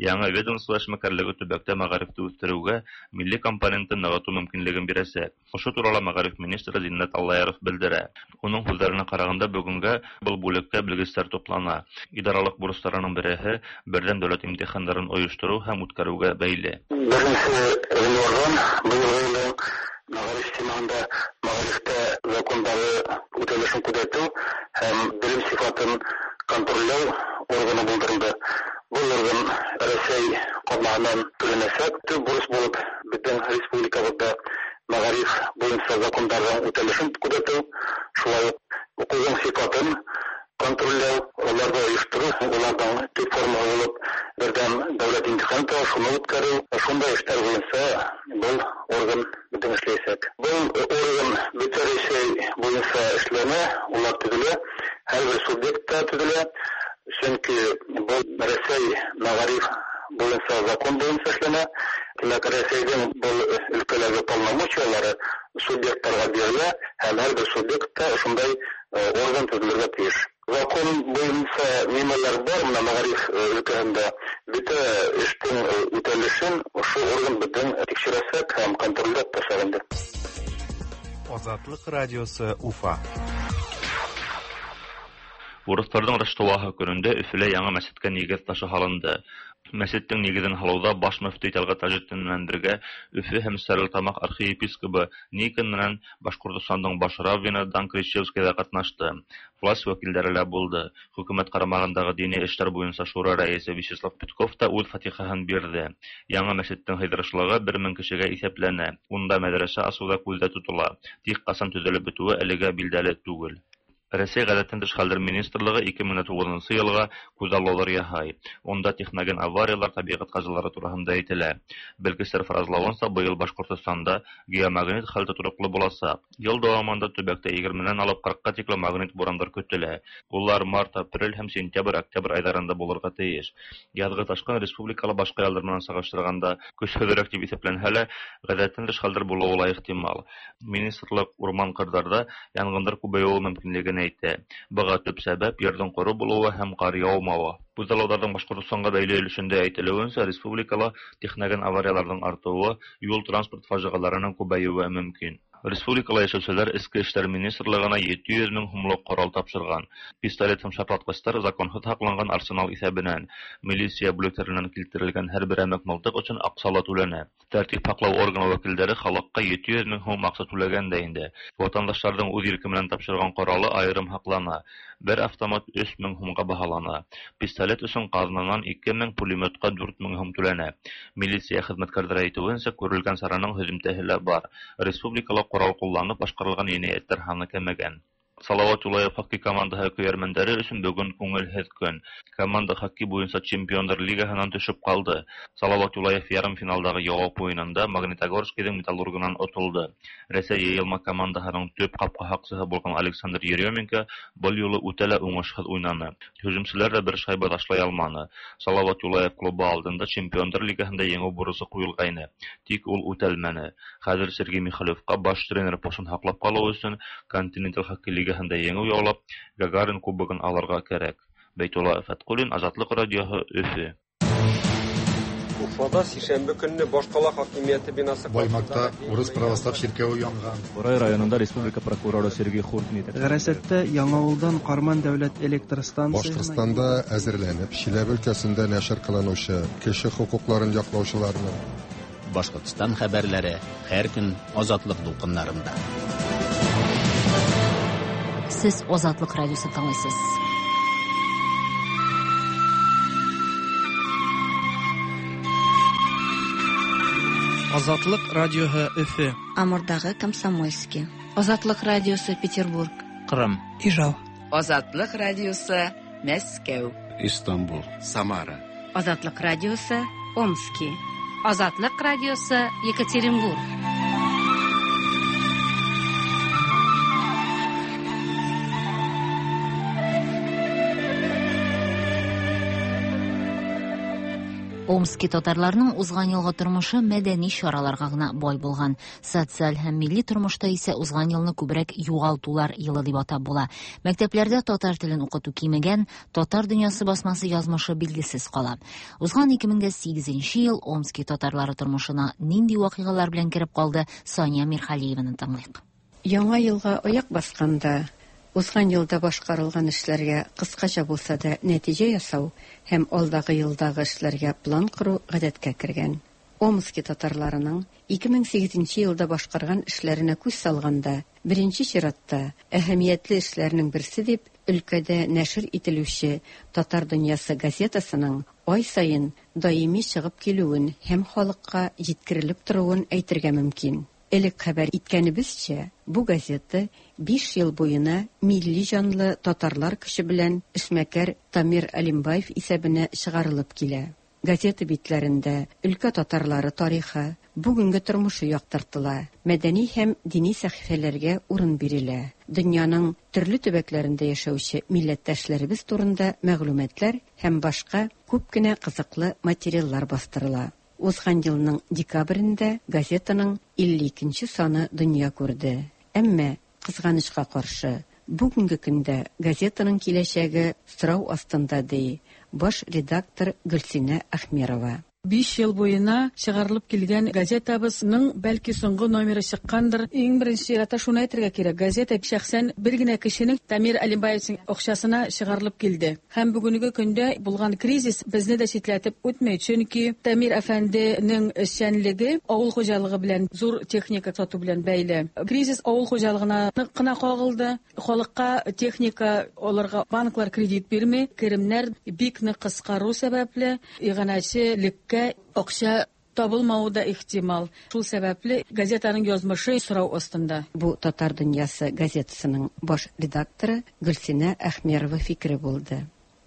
Яңа ведомство эшмәкәрлеге төбәктә мәгарифне үстерүгә милли компонентын ныгыту мөмкинлеген бирәчәк. Ошо турала мәгариф министры Зиннәт Аллаяров белдерә. Уның һүҙҙәренә ҡарағанда, бөгөнгә был бүлеккә белгестәр туплана. Идаралыҡ бурыстарының береһе берҙәм дәүләт имтихандарын ойоштороу һәм үткәреүгә бәйле. Беренсе ғинварҙан быйылғы йылдың мәғариф системаһында мәғарифтә закондары үтәлешен күҙәтеү һәм белем сифатын контрольләү органы булдырылды. Был орган Рәсәй ҡаҙнаһынан түләнәсәк. Төп бурыс булып беҙҙең республикабыҙҙа мәғариф буйынса закондарҙың үтәлешен күҙәтеү, шулай уҡ уҡыуҙың сифатын контрольләү, аларны оештыру, аларның төп форма булып бердәм дәүләт имтиханы тора, шуны үткәрү, шундай эшләр буенча был орган бөтен эшләячәк. Был орган бөтә Рәсәй буенча эшләнә, улар төзелә, һәрбер субъектта төзелә, чөнки был Рәсәй мәгариф буенча закон буенча эшләнә. Димәк, Рәсәйнең был өлкәләге полномочиялары субъектларга бирелә һәм һәрбер субъектта шундай орган төзелергә тиеш. Закон буенча нимәләр бар, менә мәгариф өлкәһендә бөтә эштең үтәлешен ошо орган бөтен тикшерәсәк һәм контрольдә тотачак инде. Азатлык радиосы Уфа. Урыҫтарҙың Раштуаһы көнөндә Өфөлә яңы мәсеткә нигеҙ ташы һалынды. Мәсеттең нигеҙен һалыуҙа баш мөфтөй Тәлғәт Тажетдин менән бергә Өфө һәм Стәрлетамаҡ архиепискобы Никон менән Башҡортостандың баш раввины Дан Кричевский ҙа ҡатнашты. Власть вәкилдәре лә булды. Хөкүмәт ҡарамағындағы дини эштәр буйынса шура рәйесе Вячеслав Петков та үҙ фатихаһын бирҙе. Яңы мәсеттең һыйҙырышлығы 1000 кешегә иҫәпләнә. Унда мәҙрәсә асыу ҙа күҙҙә тотола. Тик ҡасан төҙөлөп бөтөүе әлегә билдәле түгел. Рәсәй ғәҙәттән тыш хәлдәр министрлығы 2009 йылға күҙаллауҙар яһай. Унда техноген авариялар, тәбиғәт ҡазалары тураһында әйтелә. Белгестәр фаразлауынса, быйыл Башҡортостанда геомагнит хәл тотороҡло буласаҡ. Йыл дауамында төбәктә 20-нән алып 40-ҡа тиклем магнит бурандар көтөлә. Улар март, апрель һәм сентябрь, октябрь айҙарында булырға тейеш. Яҙғы ташҡын республикала башҡа йылдар менән сағыштырғанда көсһөҙөрәк тип иҫәпләнһә лә, ғәҙәттән тыш хәлдәр булыуы ла ихтимал. Министрлыҡ урман-ҡырҙарҙа янғындар күбәйеүе мөмкинлеген әйтә. Быға төп сәбәп ерҙең ҡоро булыуы һәм ҡар яумауы. Күҙаллауҙарҙың Башҡортостанға бәйле өлөшөндә әйтелеүенсә, республикала техноген аварияларҙың артыуы, юл-транспорт фажиғаларының күбәйеүе мөмкин. Республикала йәшәүселәр Эске эштәр министрлығына 700 мең һумлыҡ ҡорал тапшырған. Пистолет һәм шартлатҡыстар законһыҙ һаҡланған арсенал иҫәбенән. Милиция бүлектәренән килтерелгән һәр берәмек мылтыҡ өсөн аҡса ла түләнә. Тәртип һаҡлау органы вәкилдәре халыҡҡа 700 мең һум аҡса түләгән дә инде. Ватандаштарҙың үҙ ирке менән тапшырған ҡоралы айырым һаҡлана. Бер автомат 3000 һумға баһалана. Пистолет өсөн ҡаҙнанан 2000, пулеметҡа 4000 һум түләнә. Милиция хеҙмәткәрҙәре әйтеүенсә, күрелгән сараның һөҙөмтәһе лә бар. Республикала ҡорал ҡулланып башҡарылған енәйәттәр һаны кәмегән. Салават Юлаев хоккей командаһы көйәрмәндәре өсөн бөгөн күңелһеҙ көн. Команда хоккей буйынса Чемпиондар лигаһынан төшөп ҡалды. Салават Юлаев ярым финалдағы яуап уйынында Магнитогорскийҙың Металлургынан отолдо. Рәсәй йыйылма командаһының төп ҡапҡа һаҡсыһы булған Александр Еременко был юлы үтә лә уңышһыҙ уйнаны. Һөжүмселәр ҙә бер шайба ташлай алманы. Салават Юлаев клубы алдында Чемпиондар лигаһында еңеү бурысы ҡуйылғайны. Тик ул үтәлмәне. Хәҙер Сергей Михалевҡа баш тренер постын һаҡлап ҡалыу өсөн Континенталь хоккей лигаһында еңеү яулап, Гагарин кубогын алырға кәрәк. Бәйтулла Фәтҡуллин, Азатлыҡ радиоһы, Өфө. Уфада сишәмбе көнне башҡала хакимиәте бинасы Баймакта урыс православ чиркәве янган. Бурай районында республика прокуроры Сергей Хуртин Ғәрәсәттә Яңауылдан Ҡарман дәүләт электр станцияһына Башҡортостанда әҙерләнеп, Чиләбе өлкәсендә нәшер ҡылыныусы кеше хоҡуҡларын яҡлаусыларының Башҡортостан хәбәрләре һәр көн Азатлыҡ дулҡыннарында. Сез Азатлык радиосын тыңлыйсыз. Азатлык радиоһы Өфө. Амурдагы Комсомольский. Азатлык радиосы Петербург. Ҡырым. Ижау. Азатлык радиосы Мәскәү. Истанбул. Самара. Азатлык радиосы Омски. Азатлык радиосы Екатеринбург. Омски татарларының узган елгы тормышы мәдәни чараларга гына бай булган. Социаль һәм милли тормышта исә узган елны күбрәк югалтулар елы дип атап була. Мәктәпләрдә татар телен укыту кимегән, татар дөньясы басмасы язмышы билгесез кала. Узган 2008 ел Омски татарлары тормышына нинди вакыйгалар белән кереп калды, Сания Мирхалиеваны тыңлыйк. Яңа елга аяк басканда узган елда башкарылган эшләргә кыскача булса да нәтиҗә ясау һәм алдагы елдагы эшләргә план кору гадәткә кергән. Омски татарларының 2008 елда башкарган эшләренә күз салганда, беренче чиратта әһәмиятле эшләрнең берсе дип өлкәдә нәшер ителүче Татар дөньясы газетасының ай саен даими чыгып килүен һәм халыкка җиткерелеп торуын әйтергә мөмкин. Элек хәбәр иткәнебезчә, бу газета 5 ел буена милли җанлы татарлар көче белән эшмәкәр Тамир Алимбаев исәбенә чыгарылып килә. Газета битләрендә өлкә татарлары тарихы, бүгенге тормышы яктыртыла, мәдәни һәм дини сәхифәләргә урын бирелә. Дөньяның төрле төбәкләрендә яшәүче милләттәшләребез турында мәгълүматлар һәм башка күп кенә кызыклы материаллар бастырыла. Узган елның декабрендә газетаның 52 нче саны дөнья күрде. Әмма, кызганычка каршы, бүгенге көндә газетаның киләчәге сорау астында, ди баш редактор Гөлсинә Әхмерова. Биш ел буена чыгарылып килгән газетабызның бәлки соңгы номеры чыккандыр. Иң беренче чиратта шуны әйтергә кирәк, газета шәхсән бер генә кешенең Тамир Алимбаевичның акчасына чыгарылып килде. Һәм бүгенге көндә булган кризис безне дә читләтеп үтми, чөнки Тамир әфәнденең эшчәнлеге авыл хуҗалыгы белән, зур техника сату белән бәйле. Кризис авыл хуҗалыгына нык кына кагылды. Халыкка техника алырга банклар кредит бирми, керемнәр бик нык кыскару сәбәпле, иганәчелеккә акча табылмавы да ихтимал. Шул сәбәпле газетаның язмышы сорау астында. Бу Татар дөньясы газетасының баш редакторы Гөлсинә Әхмерова фикере булды.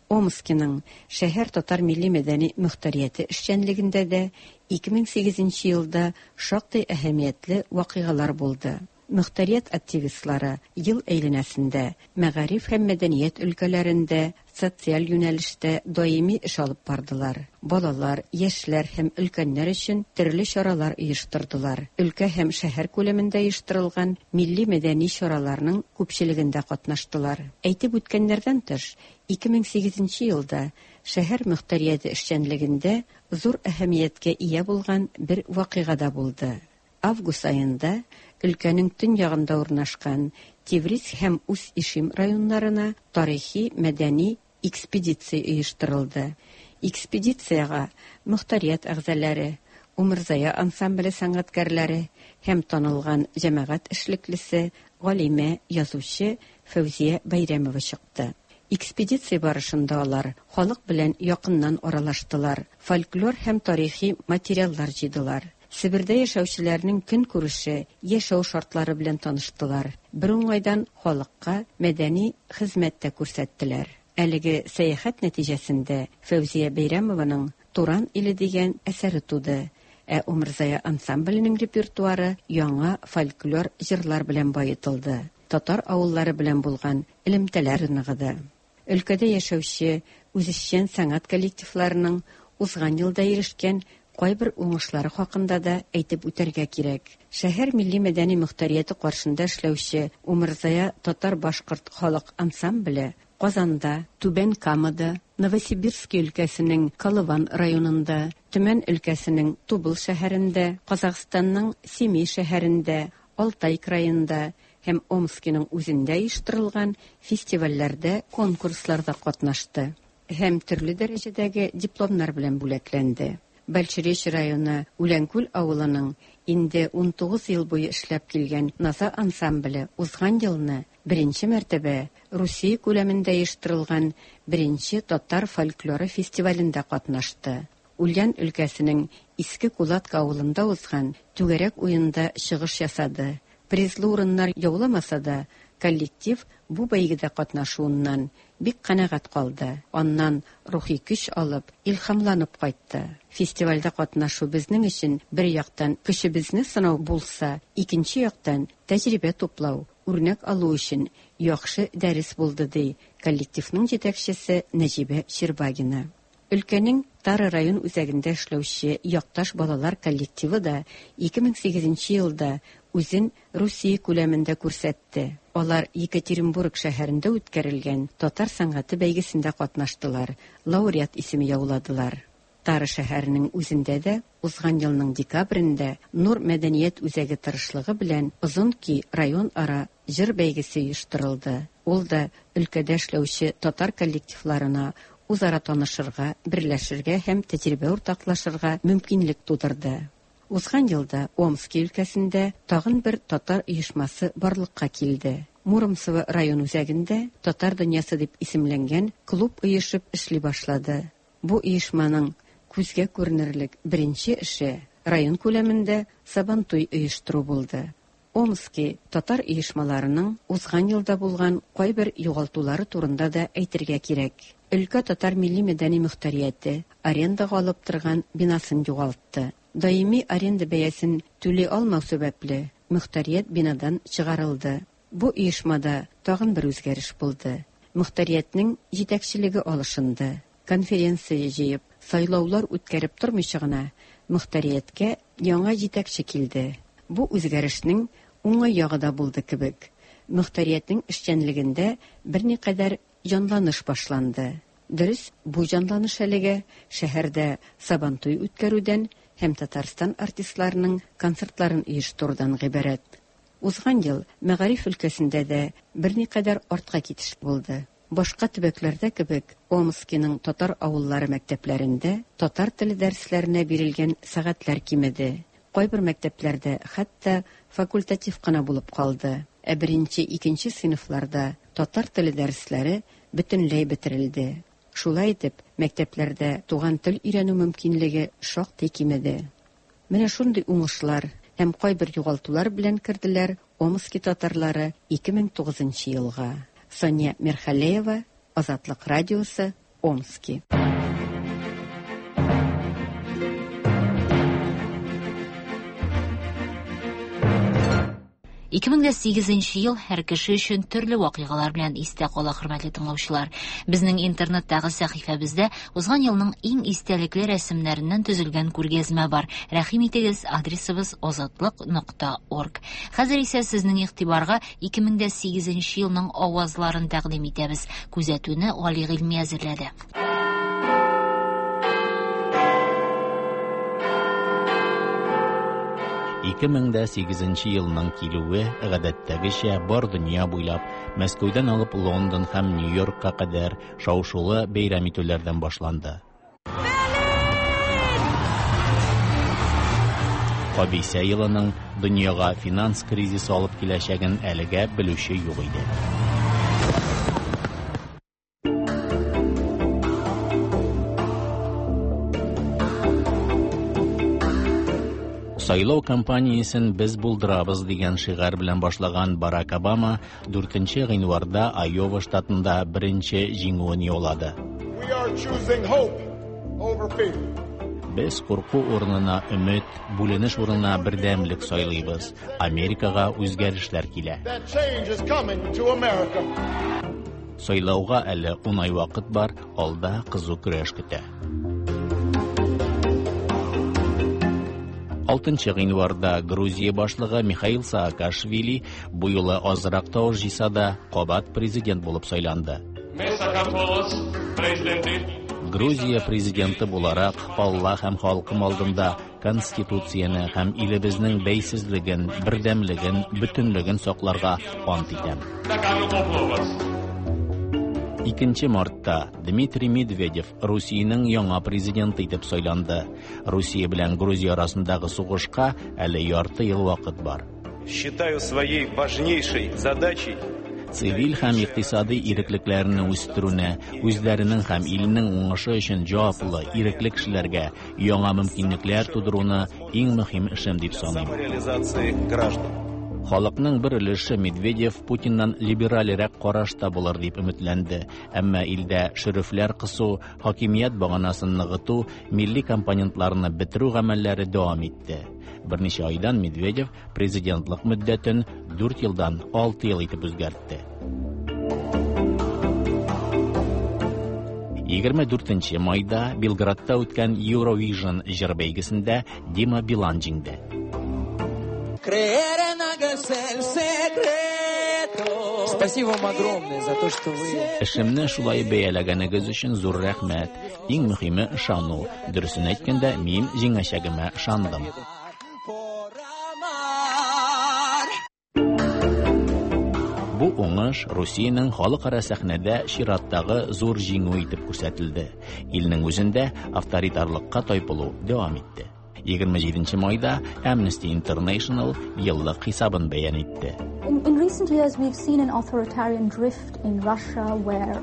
Омскиның шәһәр татар милли-мәдәни мөхтәрияте эшчәнлегендә дә 2008 нче елда шактый әһәмиятле вакыйгалар булды. Мөхтәрият активистлары ел әйләнәсендә мәгариф һәм мәдәният өлкәләрендә, социаль юнәлештә даими эш алып бардылар, балалар, яшьләр һәм өлкәннәр өчен төрле чаралар оештырдылар, өлкә һәм шәһәр күләмендә оештырылган милли-мәдәни чараларның күпчелегендә катнаштылар. Әйтеп үткәннәрдән тыш, 2008 нче елда шәһәр мөхтәрияте эшчәнлегендә зур әһәмияткә ия булган бер вакыйга да булды. Август аенда өлкәнең төньягында урнашкан Тевриз һәм Усть-Ишим районнарына тарихи-мәдәни экспедиция оештырылды. Экспедициягә мохтарият әгъзаләре, Умырзая ансамбле сәнгатькәрләре һәм танылган җәмәгать эшлеклесе, галимә, язучы Фәүзия Бәйрәмова чыкты. Экспедиция барышында алар халык белән якыннан аралаштылар, фольклор һәм тарихи материаллар җыйдылар. Себердә яшәүчеләрнең көнкүреше, яшәү шартлары белән таныштылар, бер уңайдан халыкка мәдәни хезмәт тә күрсәттеләр. Әлеге сәяхәт нәтиҗәсендә Фәүзия Бәйрәмованың Туран иле дигән әсәре туды, ә Умырзая ансамбленең репертуары яңа фольклор җырлар белән баетылды, татар авыллары белән булган элемтәләр ныгыды. Өлкәдә яшәүче үзешчән сәнгать коллективларының узган елда ирешкән кайбер уңышлары хакында да әйтеп үтәргә кирәк. Шәһәр милли-мәдәни мохтарияте каршында эшләүче Умырзая татар-башкорт халык ансамбле Казанда, Түбән Камада, Новосибирски өлкәсенең Колыван районында, Төмән өлкәсенең Тубыл шәһәрендә, Казахстанның Семей шәһәрендә, Алтай краенда һәм Омскиның үзендә оештырылган фестивальләрдә, конкурсларда катнашты һәм төрле дәрәҗәдәге дипломнар белән бүләкләнде. Большеречье районы Үләнкүл авылының инде 19 ел буе эшләп килгән Наза ансамбле узган елны беренче мәртәбә Русия күләмендә оештырылган беренче татар фольклоры фестивалендә катнашты. Ульян өлкәсенең Иске Кулатка авылында узган Түгәрәк уенда чыгыш ясады. Призлы урыннар яуламаса да, коллектив бу бәйгедә катнашуыннан бик канәгать калды, аннан рухи көч алып, илһамланып кайтты. Фестивальдә катнашу безнең өчен бер яктан көчебезне сынау булса, икенче яктан тәҗрибә туплау, үрнәк алу өчен яхшы дәрес булды, ди коллективның җитәкчесе Нәҗибә Щербагина. Өлкәнең Тара район үзәгендә эшләүче Якташ балалар коллективы да 2008 нче елда үзен Русия күләмендә күрсәтте. Алар Екатеринбург шәһәрендә үткәрелгән татар сәнгате бәйгесендә катнаштылар, лауреат исеме яуладылар. Тара шәһәренең үзендә дә узган елның декабрендә Нур мәдәният үзәге тырышлыгы белән Озын көй районара җыр бәйгесе оештырылды. Ул да өлкәдә эшләүче татар коллективларына үзара танышырга, берләшергә һәм тәҗрибә уртаклашырга мөмкинлек тудырды. Узган елда Омски өлкәсендә тагын бер татар оешмасы барлыкка килде. Муромцево район үзәгендә Татар дөньясы дип исемләнгән клуб оешып эшли башлады. Бу оешманың күзгә күренерлек беренче эше, район күләмендә Сабантуй оештыру булды. Омски татар оешмаларының узган елда булган кайбер югалтулары турында да әйтергә кирәк. Өлкә татар милли-мәдәни мөхтәрияте арендага алып торган бинасын югалтты. Даими аренда бәясен түли алмау сәбәпле, мөхтәрият бинадан чыгарылды. Бу оешмада тагын бер үзгәреш булды. Мөхтәриятнең җитәкчелеге алышынды. Конференция җыеп, сайлаулар үткәреп тормыйча гына, мөхтәрияткә яңа җитәкче килде. Бу үзгәрешнең уңай ягы да булды кебек. Мөхтәриятнең эшчәнлегендә берникадәр җанланыш башланды. Дөрес, бу җанланыш әлегә шәһәрдә Сабантуй үткәрүдән һәм Татарстан артистларының концертларын оештырудан гыйбарәт. Узган ел мәгариф өлкәсендә дә берникадәр артка китеш булды. Башка төбәкләрдә кебек, Омскиның татар авыллары мәктәпләрендә татар теле дәресләренә бирелгән сәгатьләр кимеде. Кайбер мәктәпләрдә хәтта факультатив кына булып калды. Ә беренче-икенче сыйныфларда татар теле дәресләре бөтенләй бетерелде. Шулай итеп, мәктәпләрдә туган тел өйрәнү мөмкинлеге шактый кимеде. Менә шундый уңышлар һәм кайбер югалтулар белән керделәр Омски татарлары 2009 нчы елга. Сания Мирхалеева, Азатлык радиосы, Омски. 2008 ел һәр кеше өчен төрле вакыйгалар белән истә кала, хөрмәтле тыңлаучылар. Безнең интернеттагы сәхифәбездә узган елның иң истәлекле рәсемнәреннән төзелгән күргәзмә бар. Рәхим итегез, адресыбыз азатлык.орг. Хәзер исә сезнең игътибарга 2008 елның авазларын тәкъдим итәбез. Күзәтүне Гали Гыйльми әзерләде. 2008 елның килүе гадәттәгечә бар дөнья буйлап Мәскәүдән алып Лондон һәм Нью-Йоркка кадәр шау-шулы бәйрәм итүләрдән башланды. Кабисә елының дөньяга финанс кризисы алып киләчәген әлегә белүче юк иде. Сайлау кампаниясен без булдырабыз дигән шигарь белән башлаган Барак Обама 4 гыйнварда Айова штатында беренче җиңүен яулады. Без курку урынына өмет, бүленеш урынына бердәмлек сайлыйбыз. Америкага үзгәрешләр килә. Сайлауга әле 10 ай вакыт бар, алда кызу көрәш көтә. 6 гыйнварда Грузия башлыгы Михаил Саакашвили бу юлы азрак тавыш җыйса да, кабат президент булып сайланды. Грузия президенты буларак, Алла һәм халкым алдында Конституцияне һәм илебезнең бәйсезлеген, бердәмлеген, бөтенлеген сакларга ант итәм. 2 мартта Дмитрий Медведев Русиянең яңа президенты итеп сайланды. Русия белән Грузия арасындагы сугышка әле ярты ел вакыт бар. Считаю своей важнейшей задачей цивиль һәм икътисади иреклекләрне үстерүне, үзләренең һәм илнең уңышы өчен җаваплы, ирекле кешеләргә яңа мөмкинлекләр тудыруны иң мөһим эшем дип саныйм. Халыкның бер өлеше Медведев Путиннан либеральрәк карашта булыр дип өметләнде, әмма илдә шөрефләр кысу, хакимият баганасын ныгыту, милли компонентларны бетерү гамәлләре дәвам итте. Берничә айдан Медведев президентлык мөддәтен 4 елдан 6 ел итеп үзгәртте. 24 майда Белградта үткән Eurovision җыр бәйгесендә Дима Билан җиңде. Спасибо вам огромное за то, что вы... Эшемне шулай бәяләгәнегез өчен зур рәхмәт. Иң мөһиме ышану. Дөресен әйткәндә, мин җиңәчәгемә ышандым. Бу уңыш Русиянең халыкара сәхнәдә чираттагы зур җиңү итеп күрсәтелде. Илнең үзендә авторитарлыкка тайпылу дәвам итте. 27 майда Amnesty International еллык хисабын бәян итте. In recent years we've seen an authoritarian drift in Russia where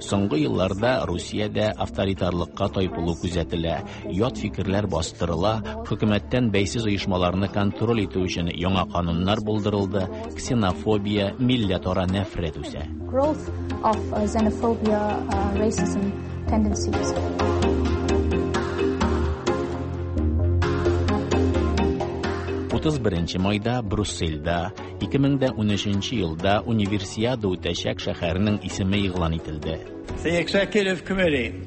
Соңгы елларда Русиядә авторитарлыкка тайпылу күзәтелә, ят фикерләр бастырыла, хөкүмәттән бәйсез оешмаларны контроль итү өчен яңа кануннар булдырылды, ксенофобия, милләтара нәфрәт үсә. Growth of xenophobia, racism tendencies. 31 майда Брюссельдә 2013 елда Универсиада үтәчәк шәһәрнең исеме игълан ителде. The Executive Committee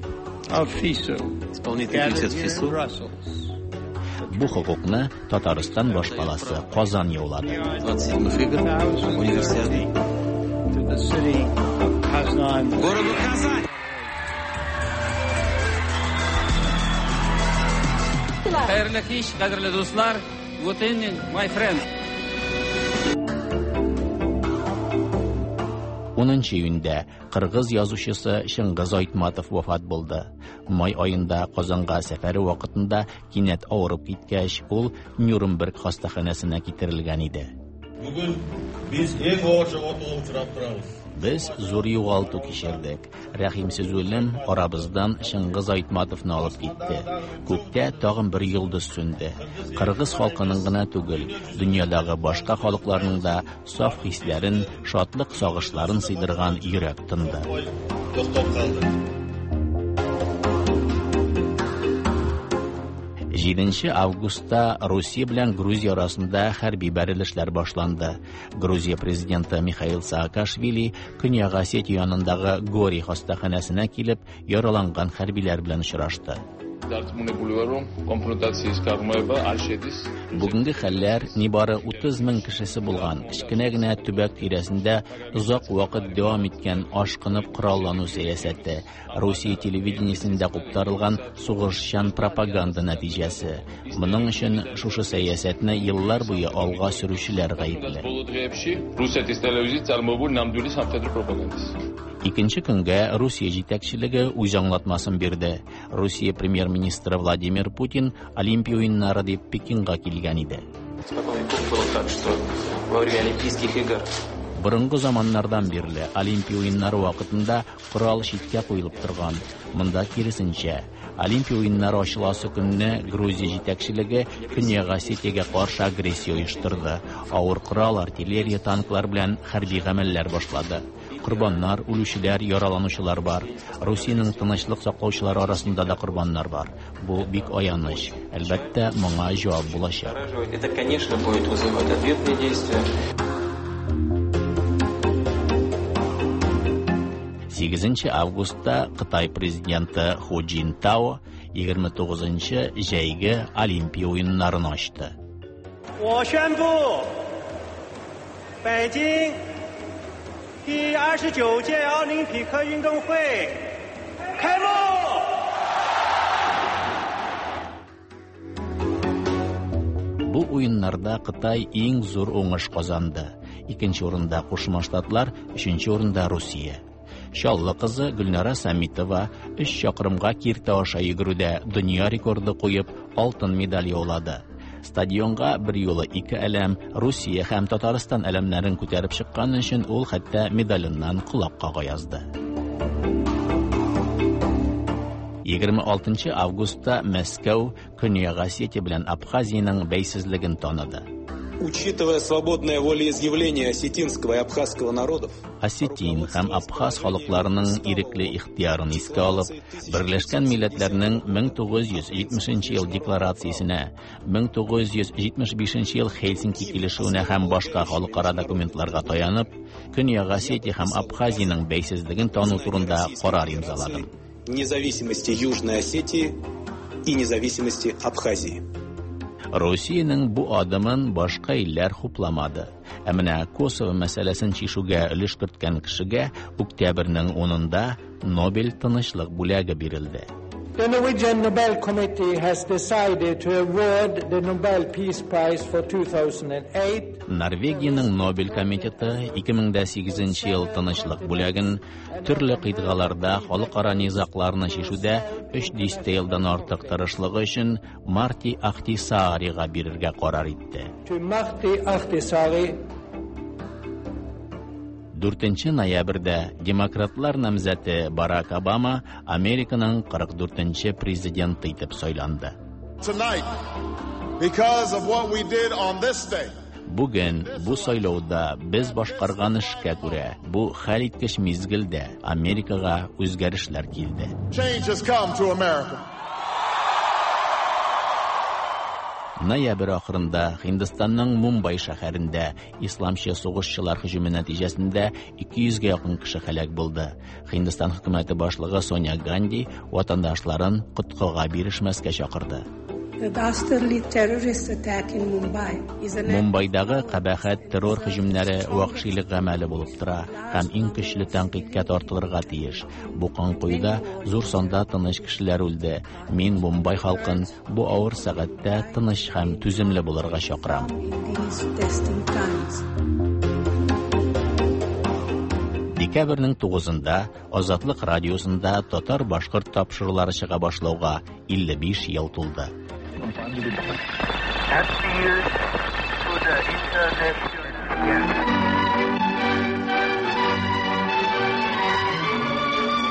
of FISU. Исполнительный комитет ФИСУ. Бу хокукны Татарстан башкаласы Казан яулады. 27 игр Универсиады. To the city of Kazan. Городу Казань. Хәерле кич, кадерле дуслар. Good evening, my friend. 10 июньдә кыргыз язучысы Чыңгыз Айтматов вафат булды. Май аенда Казанга сәфәре вакытында кинәт авырып киткәч, ул Нюрнберг хастаханәсенә китерелгән иде. Бүген без иң авыр жоғалтуға учрап торабыз. Без зур югалту кичердек. Рәхимсез үлем арабыздан Чыңгыз Айтматовны алып китте. Күктә тагын бер йолдыз сүнде. Кыргыз халкының гына түгел, дөньядагы башка халыкларның да саф хисләрен, шатлык сагышларын сыйдырган йөрәк тынды. Токтап калды. 7 августта Русия белән Грузия арасында хәрби бәрелешләр башланды. Грузия президенты Михаил Саакашвили Көньяк Осетия янындагы Гори хастаханәсенә килеп, яраланган хәрбиләр белән очрашты. დარწმუნებული ვარ, რომ კონფრონტაციის გაღრმავება არ შედის. Бүгенге хәлләр нибары 30 мең кешесе булган кечкенә генә төбәк тирәсендә озак вакыт дәвам иткән ашкынып кораллану сәясәте, Русия телевидениесендә куптарылган сугышчан пропаганда нәтиҗәсе. Моның өчен шушы сәясәтне еллар буе алга сөрүчеләр гаепле. ბოლო დღეებში რუსეთის ტელევიზიით წარმოებული ნამდვილი სამხედრო პროპაგანდის. Икенче көнгә Русия җитәкчелеге үз аңлатмасын бирде. Русия премьер-министры Владимир Путин Олимпия уеннары дип Пекинга килгән иде. Испокон веков было так, что во время Олимпийских игр Борынгы заманнардан бирле Олимпия уеннары вакытында корал читкә куелып торган. Монда киресенчә, Олимпия уеннары ачыласы көнне Грузия җитәкчелеге Көньяк Осетиягә каршы агрессия оештырды. Авыр корал, артиллерия, танклар белән хәрби гамәлләр башлады. Корбаннар, үлүчеләр, яраланучылар бар. Русиянең тынычлык саклаучылары арасында да корбаннар бар. Бу бик аяныч. Әлбәттә, моңа җавап булачак. Это, конечно, будет вызывать ответные действия. 8 августта Кытай президенты Ху Цзиньтао 29 җәйге Олимпия уеннарын ачты. 我宣布，北京第29届奥林匹克运动会开幕。 Бу уеннарда Кытай иң зур уңыш казанды. Икенче урында Кушма Штатлар, өченче урында Русия. Чаллы кызы Гөлнара Самитова 3 чакрымга киртә аша йөгерүдә дөнья рекорды куеп, алтын медаль яулады. Стадионга бер юлы ике әләм, Русия һәм Татарстан әләмнәрен күтәреп чыккан өчен ул хәтта медаленнан колак кага язды. 26 августта Мәскәү Көньяк Осетия белән Абхазиянең бәйсезлеген таныды. Учитывая свободное волеизъявление осетинского и абхазского народов, Осетин һәм Абхаз халыкларының ирекле ихтыярын искә алып, Берләшкән Милләтләрнең 1970 ел декларациясенә, 1975 ел Хельсинки килешүенә һәм башка халыкара документларга таянып, Көньяк Осетия һәм Абхазиянең бәйсезлеген тану турында карар имзаладым. Независимости Южной Осетии и независимости Абхазии. Русиянең бу адымын башка илләр хупламады. Ә менә Косово мәсьәләсен чишүгә өлеш керткән кешегә октябрьнең 10-ында Нобель тынычлык бүләге бирелде. The Norwegian Nobel Committee has decided to award the Nobel Peace Prize for 2008. Норвегиянең Нобель комитеты 2008 ел тынычлык бүләген төрле кыйтгаларда халыкара низагларны чишүдә 3 дистә елдан артык тырышлыгы өчен Марти Ахтисаарига бирергә карар итте. Martti Ahtisaari. 4 ноябрьдә демократлар намзәте Барак Обама Американың 44 нче президенты итеп сайланды. Tonight, because of what we did on this day, Бүген бу сайлауда без башкарган эшкә күрә, бу хәлиткеч мизгелдә Америкага үзгәрешләр килде. change has come to America. Ноябрь ахырында Һиндстанның Мумбай шәһәрендә исламчы сугышчылар һөҗүме нәтиҗәсендә 200 гә якын кеше һәлак булды. Һиндстан хөкүмәте башлыгы Соня Ганди ватандашларын коткыга бирешмәскә чакырды. The dastardly terrorist attack in Mumbai is an Мумбайдагы кабахәт террор һөҗүмнәре вәхшилек гамәле булып тора һәм иң көчле тәнкыйтькә тартылырга тиеш. Бу канкоюда зур санда тыныч кешеләр үлде. Мин Мумбай халкын бу авыр сәгатьтә тыныч һәм түземле булырга чакырам. in these testing times. Декабрьнең 9-ында Азатлык радиосында татар-башкорт тапшырулары чыга башлауга 55 ел тулды.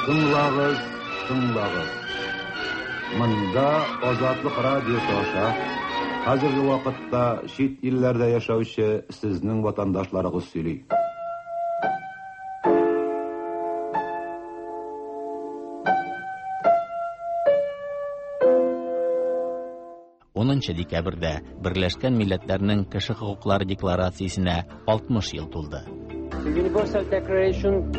Тыңлагыз, тыңлагыз. Монда Азатлык радиосы аша хәзерге вакытта чит илләрдә яшәүче сезнең ватандашларыгыз сөйли. Унынчы декабрьдә Берләшкән Милләтләрнең Кеше хокуклары декларациясенә 60 ел тулды. The Universal Declaration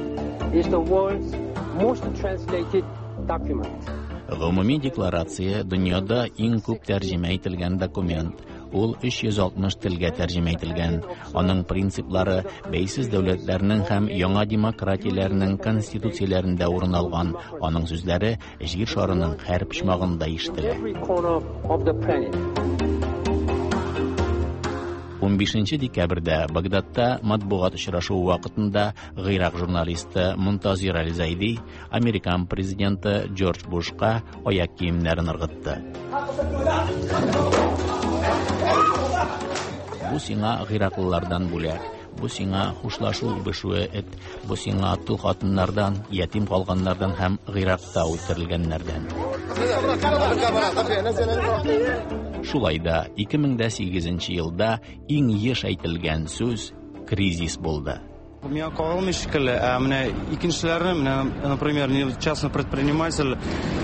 is the world's most translated document. Гомуми декларация дөньяда иң күп тәрҗемә ителгән документ. Ул 360 телгә тәрҗемә ителгән. Аның принциплары бәйсез дәүләтләрнең һәм яңа демократияләрнең конституцияләрендә урын алган. Аның сүзләре җир шарының һәр почмагында ишетелә. Every corner of the planet. 15 декабрьдә Багдадта матбугат очрашуы вакытында Гыйрак журналисты Мунтазир Аль-Зайди американ президенты Джордж Бушка аяк киемнәрен ыргытты. Бу сиңа гыйраклылардан бүләк, бу сиңа хушлашу үбешүе эт, бу сиңа тол хатыннардан, ятим калганнардан һәм Гыйракта үтерелгәннәрдән. Шулай да 2008 елда иң еш әйтелгән сүз кризис булды. Миңа кагылмый шикелле, ә менә икенчеләрне, менә, например, не частный предприниматель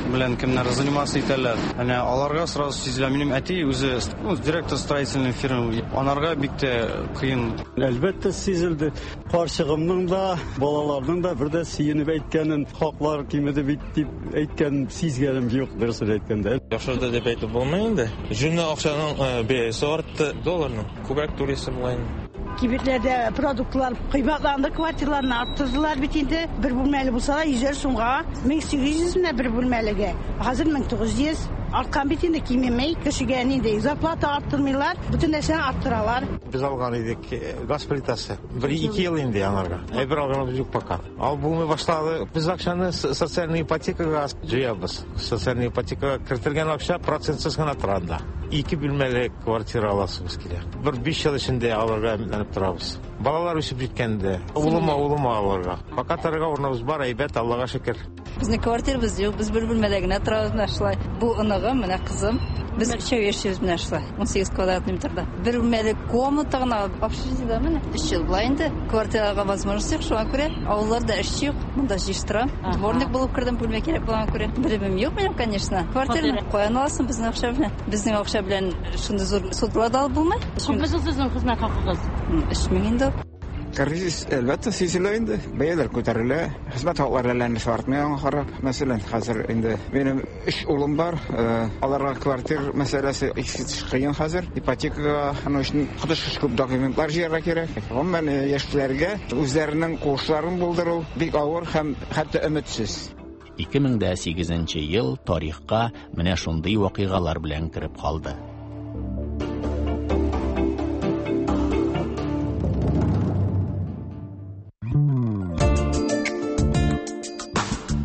белән кемнәр заниматься итәләр. Әнә аларга сразу сизелә. Минем әти үзе, ну, директор строительной фирмы. Анарга бик тә кыен. Әлбәттә сизелде. Карчыгымның да, балаларның да бер дә сөенеп әйткәнен, хаклар кимеде бит дип әйткәнен сизгәнем юк, дөресен әйткәндә. Яхшырды дип әйтеп булмый инде. Җүнле акчаның бәясе артты, долларның. Күбрәк түлисе була инде. Кибетләрдә продуктлар кыйбатланды, квартираларны арттырдылар бит инде. Бер бүлмәле булса да 100 сумга, 1800 менә бер бүлмәлегә. Хәзер 1900 арткан бит инде, кимемей. Кешегә нинди зарплата арттырмыйлар, бөтен нәрсәне арттыралар. Без алган идек газ плитасы. Бер ике ел инде янарга. Әйбер алганыбыз юк пока. Алып булмый башлады. Без акчаны социальный ипотекага җыябыз. Социальный ипотекага кертелгән акча процентсыз гына тора анда. Ике бүлмәле квартира аласыбыз килә. Бер 5 ел эчендә алырга өметләнеп торабыз. Балалар үсеп җиткәндә, улыма, улыма алырга. Пока торырга урыныбыз бар, әйбәт, Аллага шөкер. Безнең квартирабыз юк, без бер бүлмәдә генә торабыз менә шулай. Бу оныгым, менә кызым. Без өчәү яшибез менә шулай, 18 квадратный метрда. Бер бүлмәле комната гына общежитиедә менә 3 ел була инде. Квартирага возможность юк, шуңа күрә авылларда эш юк. Монда җыештырам. Дворник булып кердем, бүлмә кирәк булганга күрә. Белемем юк минем, конечно. Квартираны каян аласың безнең акча белән? Безнең акча белән шундый зур судылар да алып булмый. Күпме соң сезнең хезмәт хакыгыз? 3000 инде. Кризис әлбәттә сизелә инде. Бәяләр күтәрелә, хезмәт хаклары әллә артмый аңа карап. Мәсәлән, хәзер инде минем 3 улым бар, аларга квартир мәсьәләсе искиткеч кыен хәзер. Ипотекага аның өчен коточкыч күп документлар җыярга кирәк. Гомумән, яшьләргә үзләренең куышларын булдыру бик авыр һәм хәтта өметсез. 2008 ел тарихка менә шундый вакыйгалар белән кереп калды.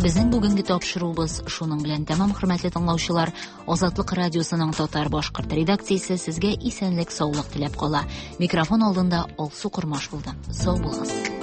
Безнең бүгенге тапшыруыбыз шуның белән тәмам, хөрмәтле тыңлаучылар. Азатлык радиосының татар-башкорт редакциясе сезгә исәнлек-саулык теләп кала. Микрофон алдында Алсу Кормаш булды. Сау булыгыз.